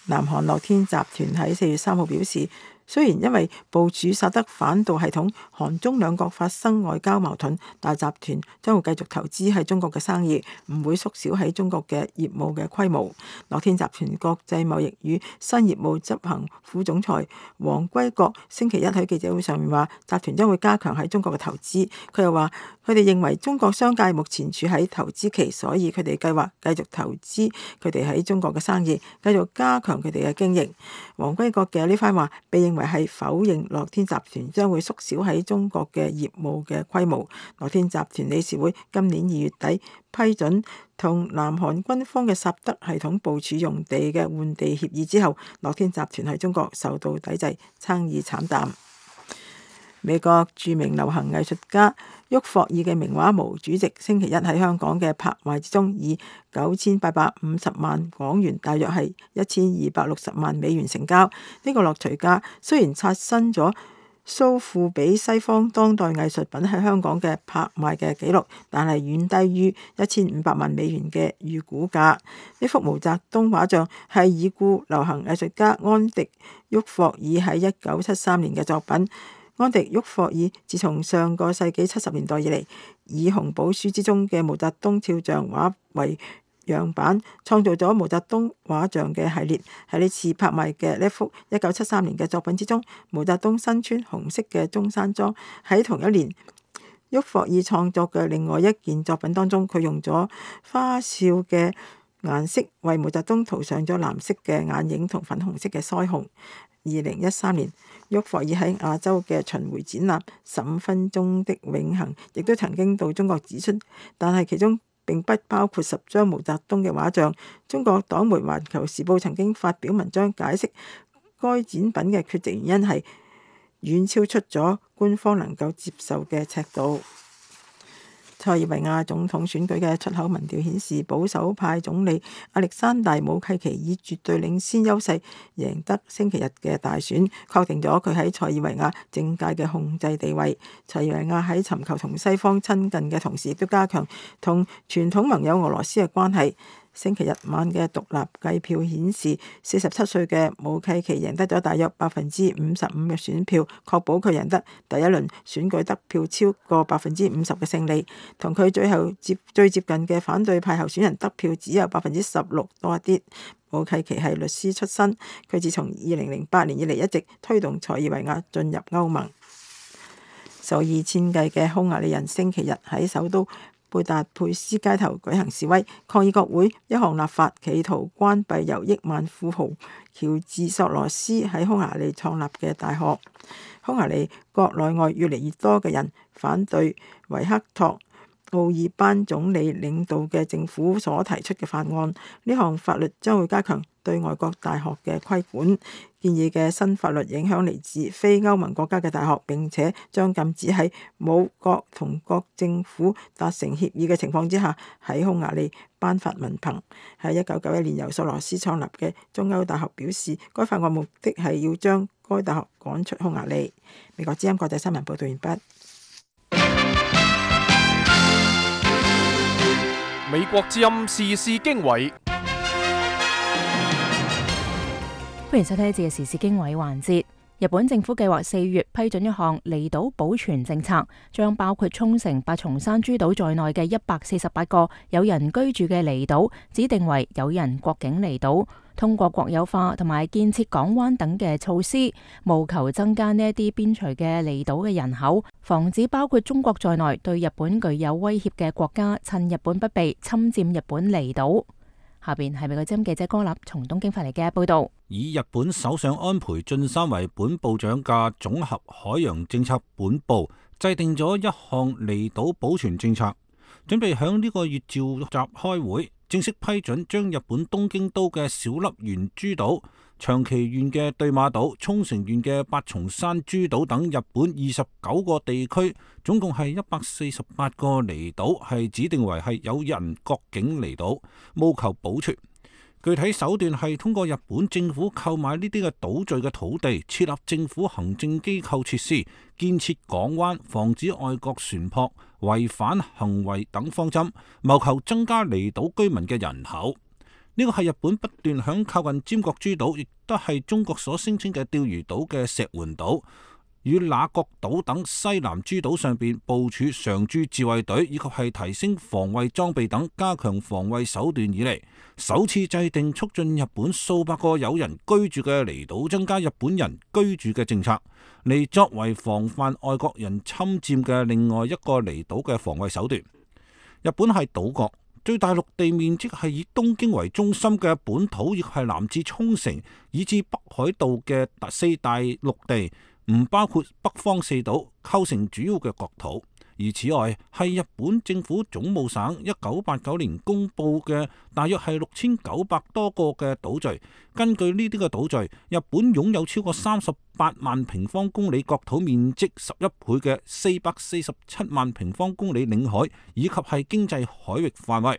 南韓樂天集團喺4月3號表示，雖然因為部署薩德反導系統，韓中兩國發生外交矛盾，但集團將會繼續投資喺中國嘅生意，唔會縮小喺中國嘅業務嘅規模。樂天集團國際貿易與新業務執行副總裁黃歸國星期一喺記者會上面話，集團將會加強喺中國嘅投資。佢又話，佢哋認為中國商界目前處喺投資期，所以佢哋計劃繼續投資佢哋喺中國嘅生意，繼續加強佢哋嘅經營。黃歸國嘅呢番話被認為係否認樂天集團將會縮小喺中國嘅業務嘅規模。樂天集團理事會今年2月底批准同南韓軍方嘅薩德系統部署用地嘅換地協議之後，樂天集團喺中國受到抵制，生意慘淡。美國著名流行藝術家沃霍爾嘅名畫《毛主席》星期一喺香港嘅拍賣之中，以9850萬港元，大約係1260萬美元成交。呢個落錘價雖然刷新咗蘇富比西方當代藝術品喺香港嘅拍賣嘅紀錄，但係遠低於1500萬美元嘅預估價。呢幅毛澤東畫像係已故流行藝術家安迪沃霍爾喺1973年嘅作品。安迪沃霍爾自從上個世紀70年代以嚟，以紅寶書之中嘅毛澤東肖像畫為樣板，創造咗毛澤東畫像嘅系列。喺呢次拍賣嘅呢幅1973年嘅作品之中，毛澤東身穿紅色嘅中山裝。喺同一年，沃霍爾創作嘅另外一件作品當中，佢用咗花哨嘅顏色為毛澤東塗上咗藍色嘅眼影同粉紅色嘅腮紅。2013年，沃霍爾喺亞洲嘅巡迴展覽15分鐘的永恆，亦都曾經到中國指出，但係其中並不包括10張毛澤東嘅畫像。中國黨媒《環球時報》曾經發表文章解釋該展品嘅缺席原因係遠超出咗官方能夠接受嘅尺度。塞爾維亞總統選舉嘅出口民調顯示，保守派總理亞歷山大武契奇以絕對領先優勢贏得星期日嘅大選，確定咗佢喺塞爾維亞政界嘅控制地位。塞爾維亞喺尋求同西方親近嘅同時，亦都加強同傳統盟友俄羅斯嘅關係。星期日晚嘅獨立計票顯示，47歲嘅武契奇贏得咗大約55%嘅選票，確保佢贏得第一輪選舉得票超過50%嘅勝利。同佢最接近嘅反對派候選人得票只有16%多一啲。武契奇係律師出身，佢自從2008年以嚟一直推動塞爾維亞進入歐盟。數以千計嘅匈牙利人星期日喺首都貝達佩斯街頭舉行示威，抗議國會一項立法，企圖關閉由億萬富豪喬治索羅斯喺匈牙利創立嘅大學。匈牙利國內外越嚟越多嘅人反對維克托奧爾班總理領導嘅政府所提出嘅法案。呢項法律將會加強對外國大學嘅規管。建議嘅新法律影響嚟自非歐盟國家嘅大學，並且將禁止喺冇國同國政府達成協議嘅情況之下喺匈牙利頒發文憑。喺1991年由索羅斯創立嘅中歐大學表示，該法案目的係要將該大學趕出匈牙利。美國之音國際新聞報道完畢。美國之音時事經緯，歡迎收聽呢節嘅時事經緯環節。日本政府計劃4月批准一項離島保全政策，將包括沖繩、八重山諸島在內嘅148個有人居住嘅離島指定為有人國境離島，通過國有化同埋建設港灣等嘅措施，務求增加呢一啲邊陲嘅離島嘅人口，防止包括中國在內對日本具有威脅嘅國家趁日本不備侵佔日本離島。下邊係美國之音記者歌立從東京發嚟嘅報道。以日本首相安倍晉三為本部長嘅綜合海洋政策本部制定咗一項離島保全政策，準備響呢個月召集開會，正式批准將日本東京都嘅小笠原諸島、長崎縣嘅對馬島、沖繩縣嘅八重山諸島等日本29個地區，總共係148個離島，係指定為係有人國境離島，務求保存。具體手段係通過日本政府購買呢啲嘅島嶼嘅土地，設立政府行政機構設施，建設港灣，防止外國船舶違反行為等方針，謀求增加離島居民嘅人口。呢個係日本不斷響靠近尖閣諸島，亦都係中國所聲稱嘅釣魚島嘅石垣島與那國島等西南諸島上邊部署常駐自衛隊，以及係提升防衛裝備等，加強防衛手段以嚟，首次制定促進日本數百個有人居住嘅離島增加日本人居住嘅政策，嚟作為防範外國人侵佔嘅另外一個離島嘅防衛手段。日本係島國，最大陸地面積係以東京為中心嘅本土，亦係南至沖繩以至北海道嘅4大陸地，唔包括北方4島，構成主要嘅國土。而此外係日本政府總務省1989年公布嘅大約係6900多個嘅島嶼。根據呢啲嘅島嶼，日本擁有超過38萬平方公里國土面積11倍嘅447萬平方公里領海，以及係經濟海域範圍。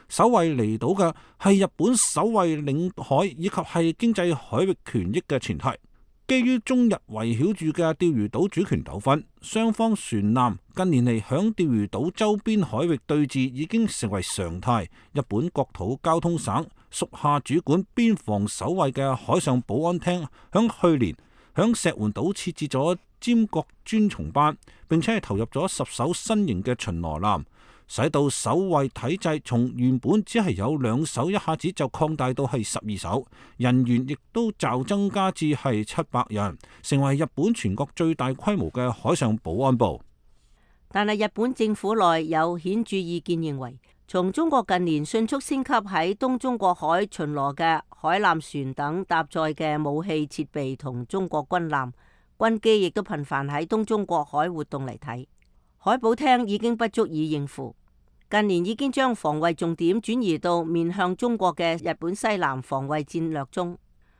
守衛離島嘅係日本守衛領海以及係經濟海域權益嘅前提。基於中日圍繞住嘅釣魚島主權糾紛，雙方船艦近年嚟響釣魚島周邊海域對峙已經成為常態。日本國土交通省屬下主管邊防守衛嘅海上保安廳響去年響石垣島設置咗尖閣專松班，並且係投入咗10艘新型嘅巡邏艦，使到守衛體制從原本只係有2艘，一下子就擴大到係12艘，人員亦都驟增加至係700人，成為日本全國最大規模嘅海上保安部。但係日本政府內有顯著意見認為，從中國近年迅速升級喺東中國海巡邏嘅海艦船等搭載嘅武器設備同中國軍艦、軍機亦都頻繁喺東中國海活動嚟睇，海保廳已經不足以應付。近年已經將防衛重點轉移到面向中國嘅日本西南防衛戰略中。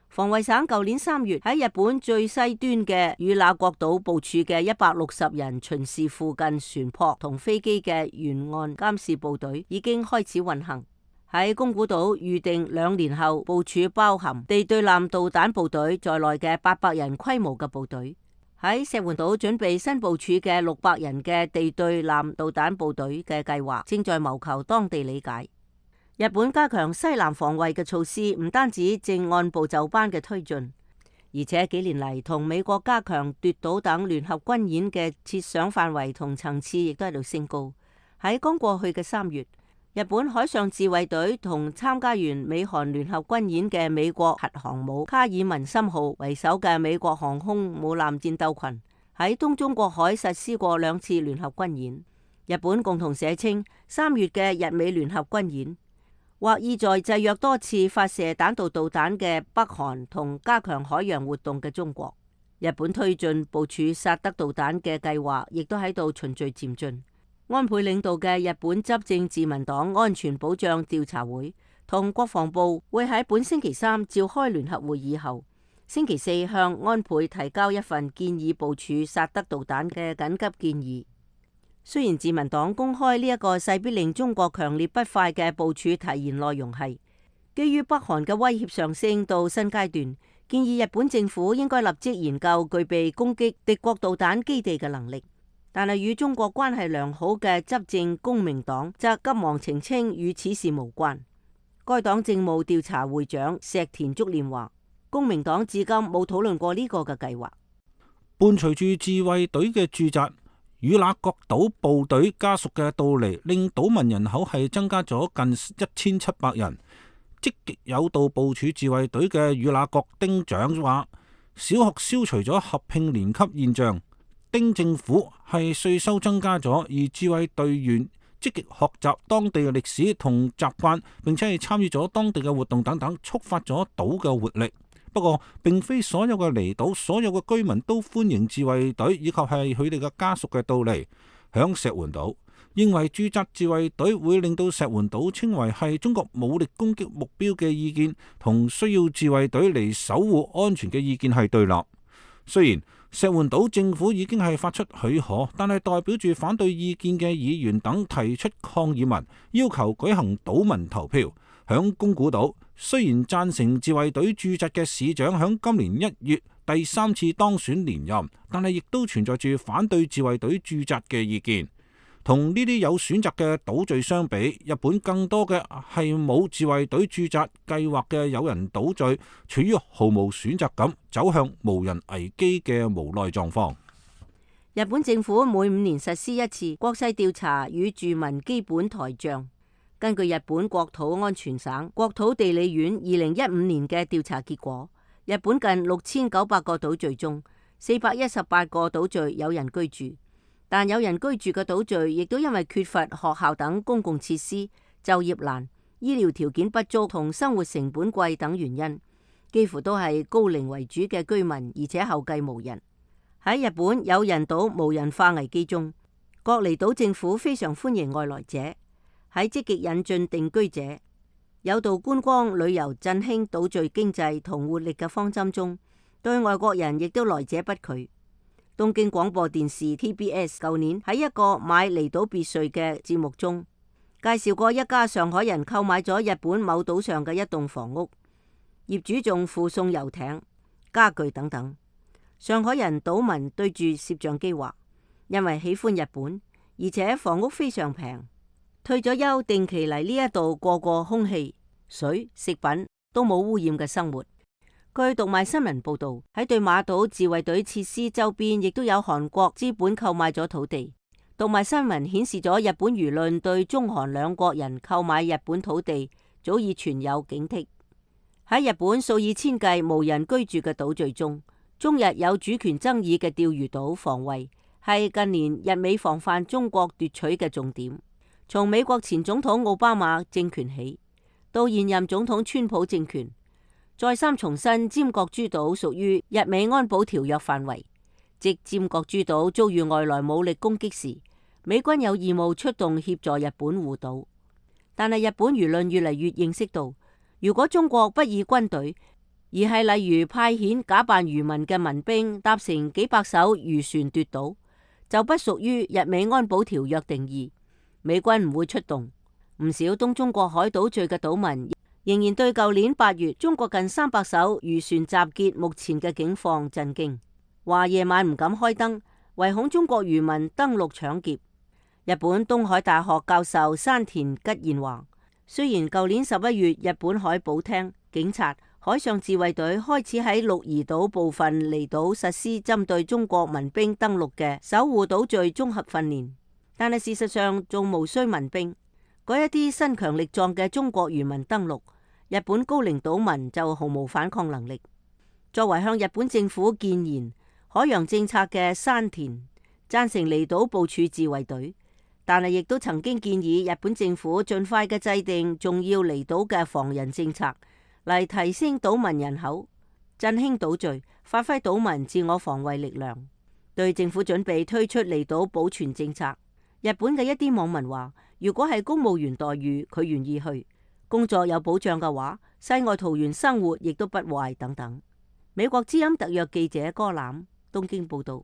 防衛省舊年3月喺日本最西端嘅與那國島部署嘅160人巡視附近船舶同飛機嘅沿岸監視部隊已經開始運行。喺宮古島預定2年後部署包含地對艦導彈部隊在內嘅800人規模嘅部隊。喺石垣島準備新部署嘅600人嘅地對艦導彈部隊嘅計劃正在謀求當地理解。日本加強西南防衛嘅措施唔單止正按部就班嘅推進，而且幾年嚟同美國加強奪島等聯合軍演嘅設想範圍同層次亦都喺度升高。喺剛過去嘅3月，日本海上自衛隊同參加完美韓聯合軍演嘅美國核航母卡爾文森號為首嘅美國航空母艦戰鬥群喺東中國海實施過2次聯合軍演。日本共同社稱3月嘅日美聯合軍演，或意在制約多次發射彈道導彈嘅北韓同加強海洋活動嘅中國。日本推進部署薩德導彈嘅計劃，亦都喺度循序漸進。安倍領導嘅日本執政自民黨安全保障調查會同國防部會喺本星期3召開聯合會議後，星期4向安倍提交一份建議部署薩德導彈嘅緊急建議。雖然自民黨公開呢一個勢必令中國強烈不快嘅部署提言內容係基於北韓嘅威脅上升到新階段，建議日本政府應該立即研究具備攻擊敵國導彈基地嘅能力。但係與中國關係良好嘅執政公明黨則急忙澄清與此事無關。該黨政務調查會長石田竹稔話，公明黨至今冇討論過呢個嘅計劃。伴隨住自衛隊嘅駐紮與那國島部隊家屬嘅到嚟，令島民人口係增加咗近1700人。積極有道部署自衛隊嘅與那國丁長話，小學消除咗合併年級現象。丁政府係稅收增加咗，而自衛隊員積極學習當地嘅歷史同習慣，並且係參與咗當地嘅活動等等，觸發咗島嘅活力。不過，並非所有嘅離島、所有嘅居民都歡迎自衛隊以及係佢哋嘅家屬嘅到嚟。響石垣島，認為駐紮自衛隊會令到石垣島稱為係中國武力攻擊目標嘅意見，同需要自衛隊嚟守護安全嘅意見係對立。雖然石垣島政府已經係發出許可，但係代表住反對意見嘅議員等提出抗議文，要求舉行島民投票。響宮古島，雖然贊成自衛隊駐紮嘅市長響今年1月第3次當選連任，但係亦都存在住反對自衛隊駐紮嘅意見。同呢啲有選擇嘅島嶼相比，日本更多嘅係冇自衛隊駐紮計劃嘅有人島嶼，處於毫無選擇感，走向無人危機嘅無奈狀況。日本政府每5年實施一次國勢調查與住民基本台帳。根據日本國土安全省國土地理院2015年嘅調查結果，日本近6900個島嶼中，418個島嶼有人居住。但有人居住嘅島嶼亦都因為缺乏學校等公共設施、就業難、醫療條件不足同生活成本貴等原因，幾乎都係高齡為主嘅居民，而且後繼無人。喺日本有人島無人化危機中，各離島政府非常歡迎外來者，喺積極引進定居者、有道觀光旅遊振興島嶼經濟同活力嘅方針中，對外國人亦都來者不拒。東京廣播電視 TBS 舊年喺一個買離島別墅嘅節目中，介紹過一家上海人購買咗日本某島上嘅一棟房屋，業主仲附送遊艇、家具等等。上海人島民對住攝像機話，因為喜歡日本，而且房屋非常平，退咗休定期嚟呢一度過空氣、水、食品都冇污染嘅生活。據讀賣新聞報道，喺對馬島自衛隊設施周邊，亦都有韓國資本購買咗土地。讀賣新聞顯示咗日本輿論對中韓兩國人購買日本土地早已存有警惕。喺日本數以千計無人居住嘅島嶼中，中日有主權爭議嘅釣魚島防衛係近年日美防範中國奪取嘅重點。從美國前總統奧巴馬政權起，到現任總統川普政權，再三重申尖閣諸島屬於日美安保條約範圍，即尖閣諸島遭遇外來武力攻擊時，美軍有義務出動協助日本護島。但係日本輿論越嚟越認識到，如果中國不以軍隊，而係例如派遣假扮漁民嘅民兵搭乘幾百艘漁船奪島，就不屬於日美安保條約定義，美軍唔會出動。唔少東中國海島嶼嘅島民仍然對舊年8月中國近300艘漁船集結目前嘅境況震驚，話夜晚唔敢開燈，唯恐中國漁民登陸搶劫。日本東海大學教授山田吉彥話，雖然舊年11月日本海保廳、警察、海上自衛隊開始喺鹿兒島部分離島實施針對中國民兵登陸嘅守護島嶼綜合訓練，但係事實上仲無需民兵，嗰一啲身強力壯嘅中國漁民登陸，日本高齡島民就毫無反抗能力。作為向日本政府建言，海洋政策嘅山田贊成離島部署自衛隊，但係亦都曾經建議日本政府盡快嘅制定重要離島嘅防人政策，嚟提升島民人口，振興島嶼，發揮島民自我防衛力量。對政府準備推出離島保全政策，日本嘅一啲網民話，如果係公務員待遇，佢願意去，工作有保障嘅話，世外桃源生活亦都不壞等等。美國之音特約記者柯欖東京報道。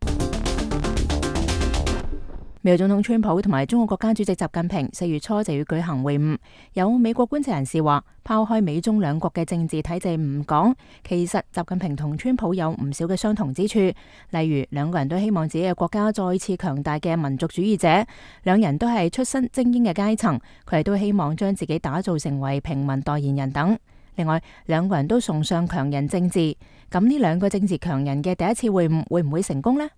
美國總統川普同埋中國國家主席習近平4月初就要舉行會晤。有美國觀察人士話，拋開美中兩國嘅政治體制唔講，其實習近平同川普有唔少嘅相同之處，例如兩個人都希望自己嘅國家再次強大嘅民族主義者，兩人都係出身精英嘅階層，佢哋都希望將自己打造成為平民代言人等。另外，兩個人都崇尚強人政治，咁呢兩個政治強人嘅第一次會晤會唔會成功呢？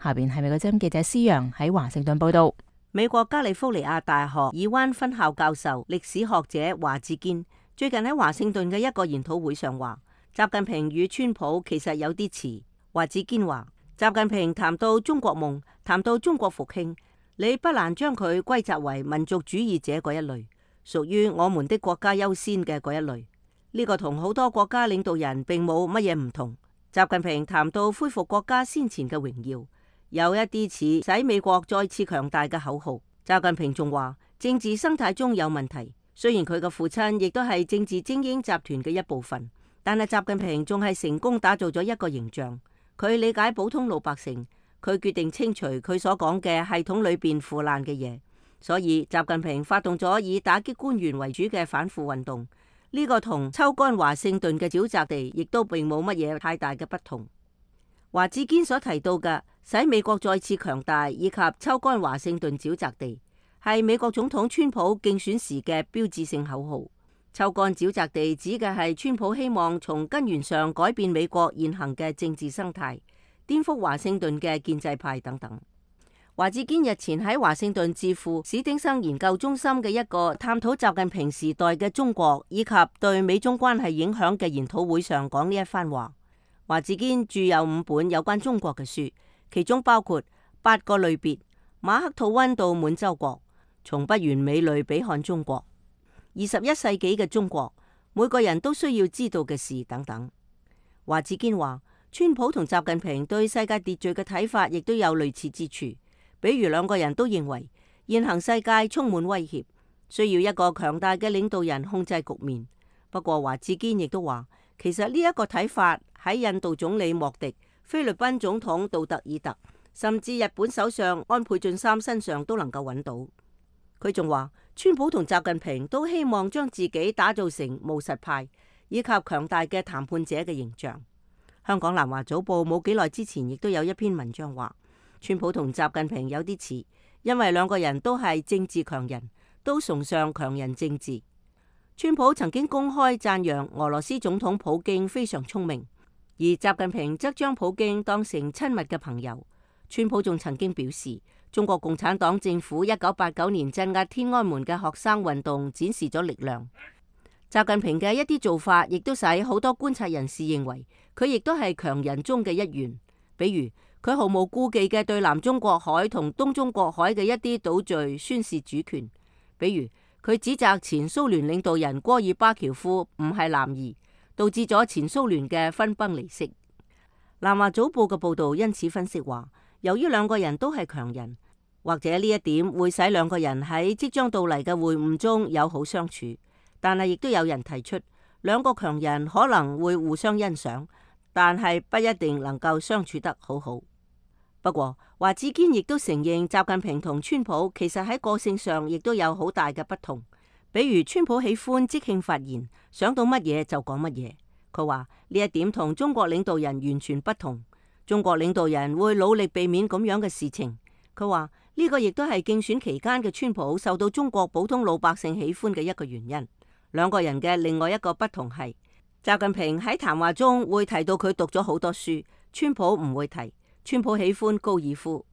下邊係美國之音記者施陽喺華盛頓報道。美國加利福尼亞大學爾灣分校教授、歷史學者華志堅最近喺華盛頓嘅一個研討會上話，習近平與川普其實有啲似。華志堅話，習近平談到中國夢，談到中國復興，你不難將佢歸責為民族主義者嗰一類，屬於我們的國家優先嘅嗰一類。呢個同好多國家領導人並冇乜嘢唔同。習近平談到恢復國家先前嘅榮耀，有一啲似使美國再次強大嘅口號。習近平仲話，政治生態中有問題。雖然佢嘅父親亦都係政治精英集團嘅一部分，但係習近平仲係成功打造咗一個形象。佢理解普通老百姓，佢決定清除佢所講嘅系統裏邊腐爛嘅嘢。所以習近平發動咗以打擊官員為主嘅反腐運動。呢個同抽乾華盛頓嘅沼澤地亦都並冇乜嘢太大嘅不同。華志堅所提到嘅使美國再次強大以及抽乾華盛頓沼澤地，係美國總統川普競選時嘅標誌性口號。抽乾沼澤地指嘅係川普希望從根源上改變美國現行嘅政治生態，顛覆華盛頓嘅建制派等等。華志堅日前喺華盛頓智庫史丁生研究中心嘅一個探討習近平時代嘅中國以及對美中關係影響嘅研討會上講呢一番話。華志堅著有5本有關中國嘅書，其中包括8個類別、馬克吐溫到滿洲國、從不完美類比看中國、21世紀嘅中國、每個人都需要知道嘅事等等。華志堅話，川普同習近平對世界秩序嘅睇法亦都有類似之處。比如兩個人都認為現行世界充滿威脅，需要一個強大嘅領導人控制局面。不過華志堅亦都話，其實呢一個睇法喺印度總理莫迪、菲律賓總統杜特爾特，甚至日本首相安倍晉三身上都能夠揾到。佢仲話，川普同習近平都希望將自己打造成務實派以及強大嘅談判者嘅形象。香港南華早報冇幾耐之前亦都有一篇文章話，川普同習近平有啲似，因為兩個人都係政治強人，都崇尚強人政治。川普曾經公開讚揚俄羅斯總統普京非常聰明，而習近平則將普京當成親密嘅朋友。川普仲曾經表示，中國共產黨政府1989年鎮壓天安門嘅學生運動展示咗力量。習近平嘅一啲做法，亦都使好多觀察人士認為佢亦都係強人中嘅一員，比如佢毫無顧忌嘅對南中國海同東中國海嘅一啲島嶼宣示主權，比如佢指責前蘇聯領導人戈爾巴喬夫唔係男兒，導致咗前蘇聯嘅分崩離析。南華早報嘅報道因此分析話，由於兩個人都係強人，或者呢一點會使兩個人喺即將到嚟嘅會晤中友好相處，但係亦都有人提出，兩個強人可能會互相欣賞，但係不一定能夠相處得好好。不過華志堅亦都承認，習近平同川普其實喺個性上亦都有好大嘅不同。比如川普喜歡即興發言，想到乜嘢就講乜嘢。佢話呢一點同中國領導人完全不同。中國領導人會努力避免咁樣嘅事情。佢話呢個亦都係競選期間嘅川普受到中國普通老百姓喜歡嘅一個原因。兩個人嘅另外一個不同係，習近平喺談話中會提到佢讀咗好多書，川普唔會提。川普喜歡高爾夫。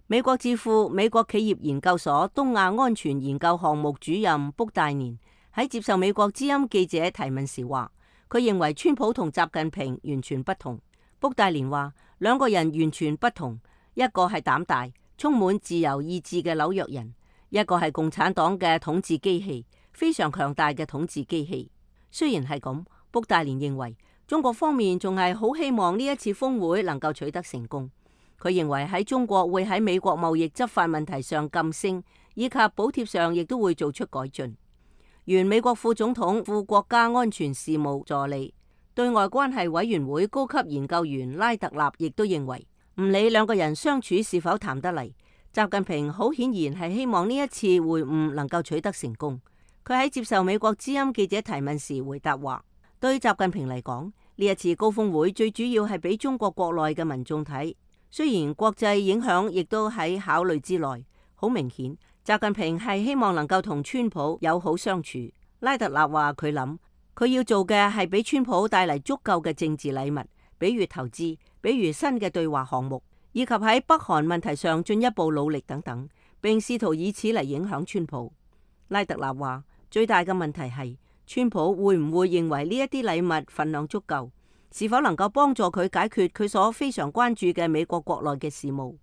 美國智庫美國企業研究所東亞安全研究項目主任卜大年喺接受美國之音記者提問時話，佢認為川普同習近平完全不同。卜戴連話，兩個人完全不同，一個係膽大、充滿自由意志嘅紐約人，一個係共產黨嘅統治機器，非常強大嘅統治機器。雖然係咁，卜戴連認為中國方面仲係好希望呢一次峰會能夠取得成功。佢認為喺中國會喺美國貿易執法問題上噤聲，以及補貼上亦都會做出改進。原美國副總統、副國家安全事務助理、對外關係委員會高級研究員拉特納亦都認為，唔理兩個人相處是否談得嚟，習近平好顯然係希望呢一次會晤能夠取得成功。佢喺接受美國之音記者提問時回答話，對習近平嚟講，呢一次高峰會最主要係俾中國國內嘅民眾睇。雖然國際影響亦都喺考慮之內，好明顯，習近平係希望能夠同川普友好相處。拉特納話佢諗，佢要做嘅係俾川普帶嚟足夠嘅政治禮物，比如投資，比如新嘅對話項目，以及喺北韓問題上進一步努力等等，並試圖以此嚟影響川普。拉特納話，最大嘅問題係川普會唔會認為呢一啲禮物份量足夠？是否能夠幫助佢解決佢所非常關注嘅美國國內嘅事務？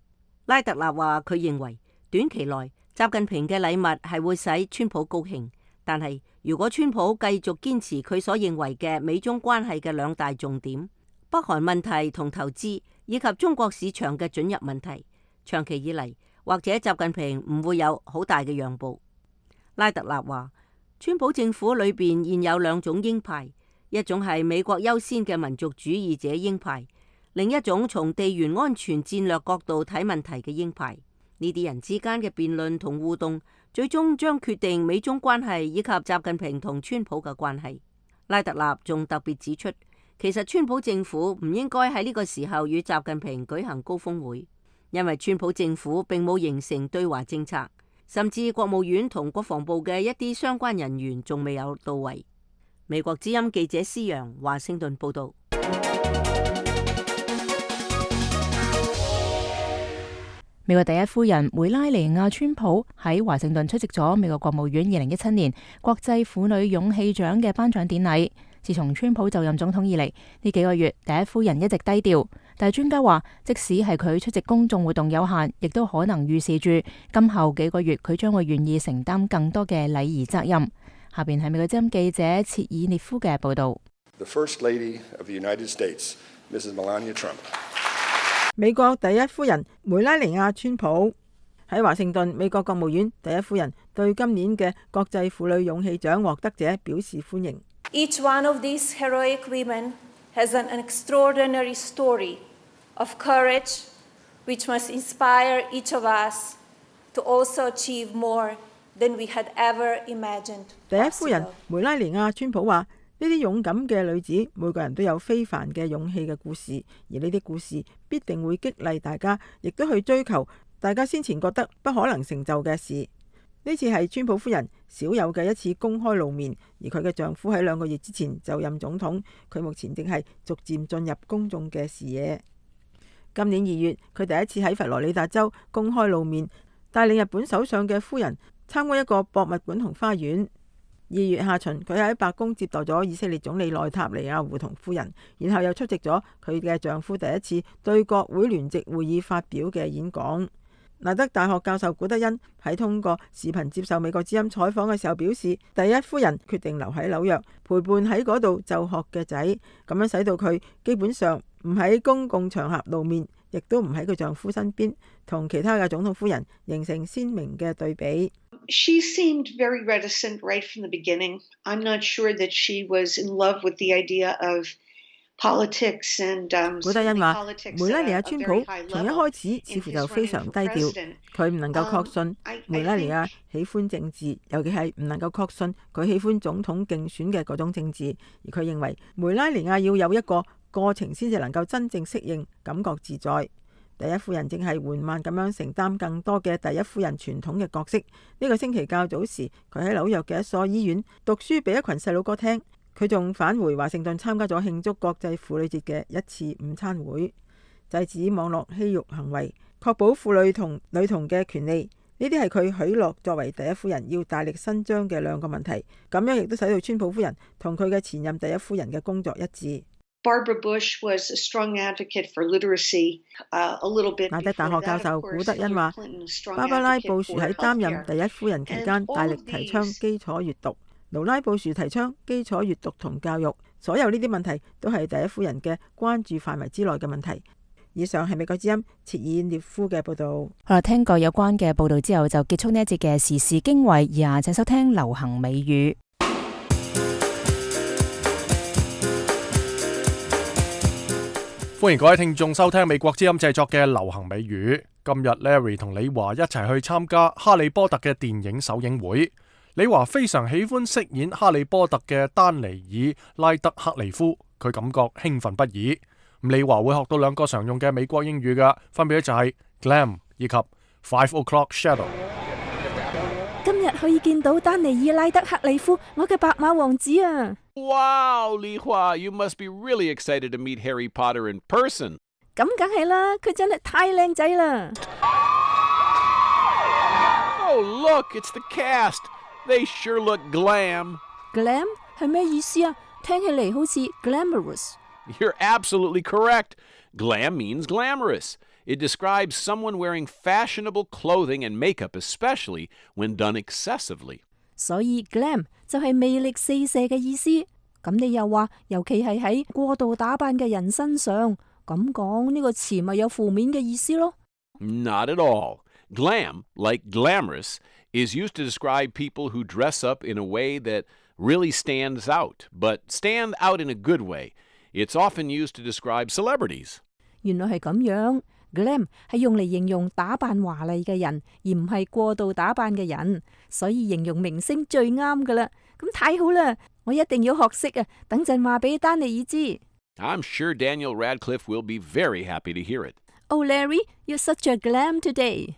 拉特納話佢認為短期內習近平嘅禮物係會使川普高興，但係如果川普繼續堅持佢所認為嘅美中關係嘅兩大重點，北韓問題同投資以及中國市場嘅准入問題，長期以嚟或者習近平唔會有好大嘅讓步。拉特納話，川普政府裏邊現有兩種鷹派。一種係美國優先嘅民族主義者鷹派，另一種從地緣安全戰略角度睇問題嘅鷹派。呢啲人之間嘅辯論同互動，最終將決定美中關係以及習近平同川普嘅關係。拉特納仲特別指出，其實川普政府唔應該喺呢個時候與習近平舉行高峰會，因為川普政府並冇形成對華政策，甚至國務院同國防部嘅一啲相關人員仲未有到位。美國之音記者施洋華盛頓報道。美國第一夫人梅拉尼亞川普喺華盛頓出席咗美國國務院2017年國際婦女勇氣獎嘅頒獎典禮。自從川普就任總統以嚟，呢幾個月第一夫人一直低調，但係專家話，即使係佢出席公眾活動有限，亦都可能預示住今後幾個月佢將會願意承擔更多嘅禮儀責任。下邊係美國之音記者切爾涅夫嘅報道。The First Lady of the United States, Mrs. Melania Trump. 美國第一夫人梅拉尼亞川普喺華盛頓，美國國務院第一夫人對今年嘅國際婦女勇氣獎獲得者表示歡迎。Each one of these heroic women has an extraordinary story of courage, which must inspire each of us to also achieve more than we had ever imagined. 第一夫人梅拉尼亞川普話：呢啲勇敢嘅女子，每個人都有非凡嘅勇氣嘅故事，而呢啲故事必定會激勵大家，亦都去追求大家先前覺得不可能成就嘅事。呢次係川普夫人少有嘅一次公開露面，而佢嘅丈夫喺2個月之前就任總統，佢目前正係逐漸進入公眾嘅視野。今年2月，佢第一次喺佛羅里達州公開露面，帶領日本首相嘅夫人參觀一個博物館同花園。2月下旬，佢喺白宮接待咗以色列總理內塔尼亞胡同夫人，然後又出席咗佢嘅丈夫第一次對國會聯席會議發表嘅演講。拿德大學教授古德恩喺通過視頻接受美國之音採訪嘅時候表示，第一夫人決定留喺紐約陪伴喺嗰度就學嘅仔，咁樣使到佢基本上唔喺公共場合露面，亦都唔喺佢丈夫身邊，同其他嘅總統夫人形成鮮明嘅對比。She seemed very reticent right from the beginning. I'm not sure that she was in love with the idea of politics and 古德恩話，梅拉尼亞川普從一開始似乎就非常低調，佢唔能夠確信梅拉尼亞喜歡政治，尤其係唔能夠確信佢喜歡總統競選嘅嗰種政治，而佢認為梅拉尼亞要有一個過程先至能夠真正適應，感覺自在。第一夫人正係緩慢咁樣承擔更多嘅第一夫人傳統嘅角色。呢個星期較早時，佢喺紐約嘅一所醫院讀書俾一群細路哥聽。佢仲返回華盛頓參加咗慶祝國際婦女節嘅一次午餐會，制止網絡欺辱行為，確保婦女同女童嘅權利。呢啲係佢許諾作為第一夫人要大力伸張嘅2個問題。咁樣亦都使到川普夫人同佢嘅前任第一夫人嘅工作一致。Barbara Bush was a strong advocate for literacy, a little bit.亞德大學教授古德恩話，芭芭拉布殊喺擔任第一夫人期間，大力提倡基礎閱讀；勞拉布殊提倡基礎閱讀同教育。所有呢啲問題都係第一夫人嘅關注範圍之內嘅問題。以上係美國之音切爾涅夫嘅報導。好啦，聽過有關嘅報導之後，就結束呢一節嘅時事經緯。以下請收聽流行美語。歡迎各位聽眾收聽美國之音製作嘅流行美語。今日 Larry 同李華一齊去參加哈利波特嘅電影首映會。李華非常喜歡飾演哈利波特嘅丹尼爾拉德克利夫，佢感覺興奮不已。李華會學到兩個常用嘅美國英語嘅，分別就係 glam 以及 5 o'clock shadow。今日可以見到丹尼爾拉德克利夫，我嘅白馬王子啊！ Wow, Li Hua, you must be really excited to meet Harry Potter in person. 咁梗係啦，佢真係太靚仔啦！ Oh, look, it's the cast. They sure look glam. Glam 係咩意思啊？聽起嚟好似 glamorous。 You're absolutely correct. Glam means glamorous. It describes someone wearing fashionable clothing and makeup, especially when done excessively. 所以 glam 就係魅力四射嘅意思。咁你又話，尤其係喺過度打扮嘅人身上，咁講呢個詞咪有負面嘅意思咯？ Not at all. Glam, like glamorous, is used to describe people who dress up in a way that really stands out, but stand out in a good way. It's often used to describe celebrities. 原來係咁樣。Glam 係用嚟形容打扮華麗嘅人，而唔係過度打扮嘅人，所以形容明星最啱噶啦。咁太好啦，我一定要學識啊！等陣話俾丹尼爾知。I'm sure Daniel Radcliffe will be very happy to hear it. Oh, Larry, you're such a glam today.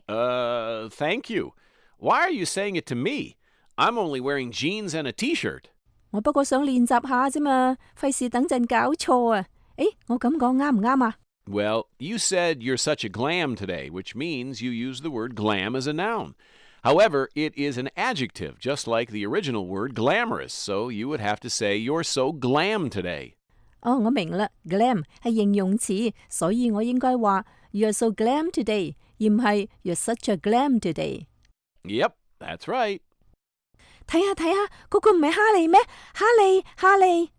Thank you. Why are you saying it to me? I'm only wearing jeans and a t-shirt. 我不過想練習下啫嘛，費事等陣搞錯啊！誒，我咁講啱唔啱啊？ Well, you said you're such a glam today, which means you use the word glam as a noun. However, it is an adjective, just like the original word glamorous, so you would have to say you're so glam today. 哦，我明啦 ，glam 係形容詞，所以我應該話 You're so glam today， 而唔係 You're such a glam today。 Yep, that's right. 睇下，嗰個唔係哈利咩？哈利。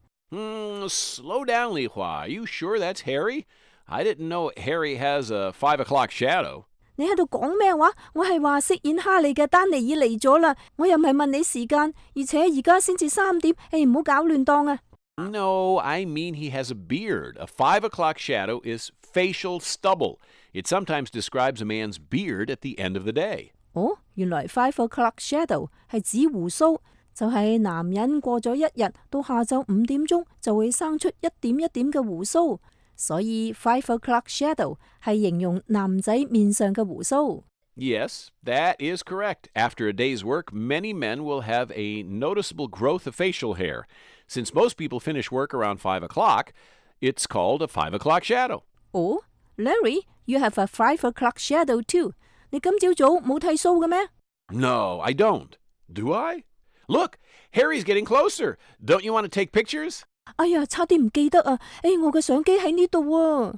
Slow down, Li Hua. Are you sure that's Harry? I didn't know Harry has a 5 o'clock shadow. 你喺度講咩話？我係話飾演哈利嘅丹尼爾嚟咗啦，我又唔係問你時間，而且而家先至3點，唔好搞亂檔啊！ No, I mean he has a beard. A 5 o'clock shadow is facial stubble. It sometimes describes a man's beard at the end of the day. 哦，原來5 o'clock shadow 係指鬍鬚，就係男人過咗一日到下晝5點鐘就會生出一點一點嘅鬍鬚。所以5 o'clock shadow 係形容男仔面上嘅鬍鬚。 Yes, that is correct. After a day's work, many men will have a noticeable growth of facial hair. Since most people finish work around 5 o'clock, it's called a 5 o'clock shadow. Oh, Larry, you have a 5 o'clock shadow too. 你今朝早冇剃鬚嘅咩？ No, I don't. Do I? Look, Harry's getting closer. Don't you want to take pictures? 哎呀，差啲唔記得啊！我嘅相機喺呢度啊！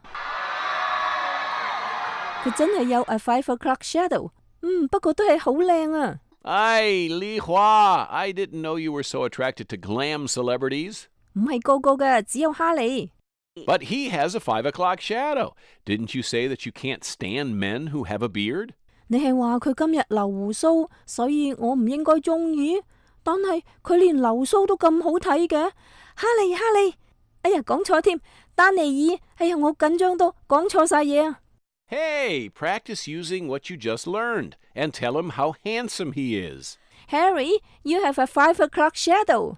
佢真係有 a 5 o'clock shadow， 不過都係好靚啊！唉，Li Hua, I didn't know you were so attracted to glam celebrities. 唔係個個嘅，只有哈利。But he has a 5 o'clock shadow. Didn't you say that you can't stand men who have a beard? 你係話佢今日留鬍鬚，所以我唔應該中意。但係佢連留鬚都咁好睇嘅。哈利，哎呀，講錯添，丹尼爾，哎呀，我緊張到講錯晒嘢啊！ Hey, practice using what you just learned and tell him how handsome he is. Harry, you have a 5 o'clock shadow.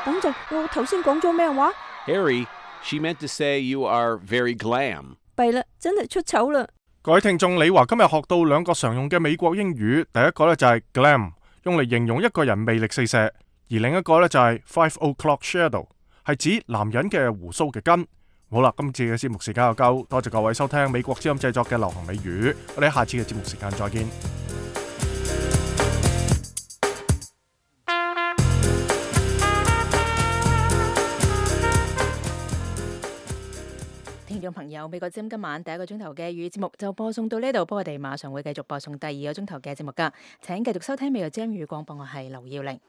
等陣，我頭先講咗咩話 ？Harry, she meant to say you are very glam. 弊啦，真係出醜啦！各位聽眾，李華今日學到兩個常用嘅美國英語，第一個呢就係 glam， 用嚟形容一個人魅力四射。而另一個呢，就係 5 o'clock shadow， 係指男人嘅鬍鬚嘅根。好啦，今次嘅節目時間又夠，多謝各位收聽美國之音製作嘅流行美語，我哋下次嘅節目時間再見。眾朋友，美國之音今晚第一個鐘頭嘅粵語節目就播送到呢度，不過我哋馬上會繼續播送第二個鐘頭嘅節目噶，請繼續收聽美國之音粵語廣播，我係劉耀玲。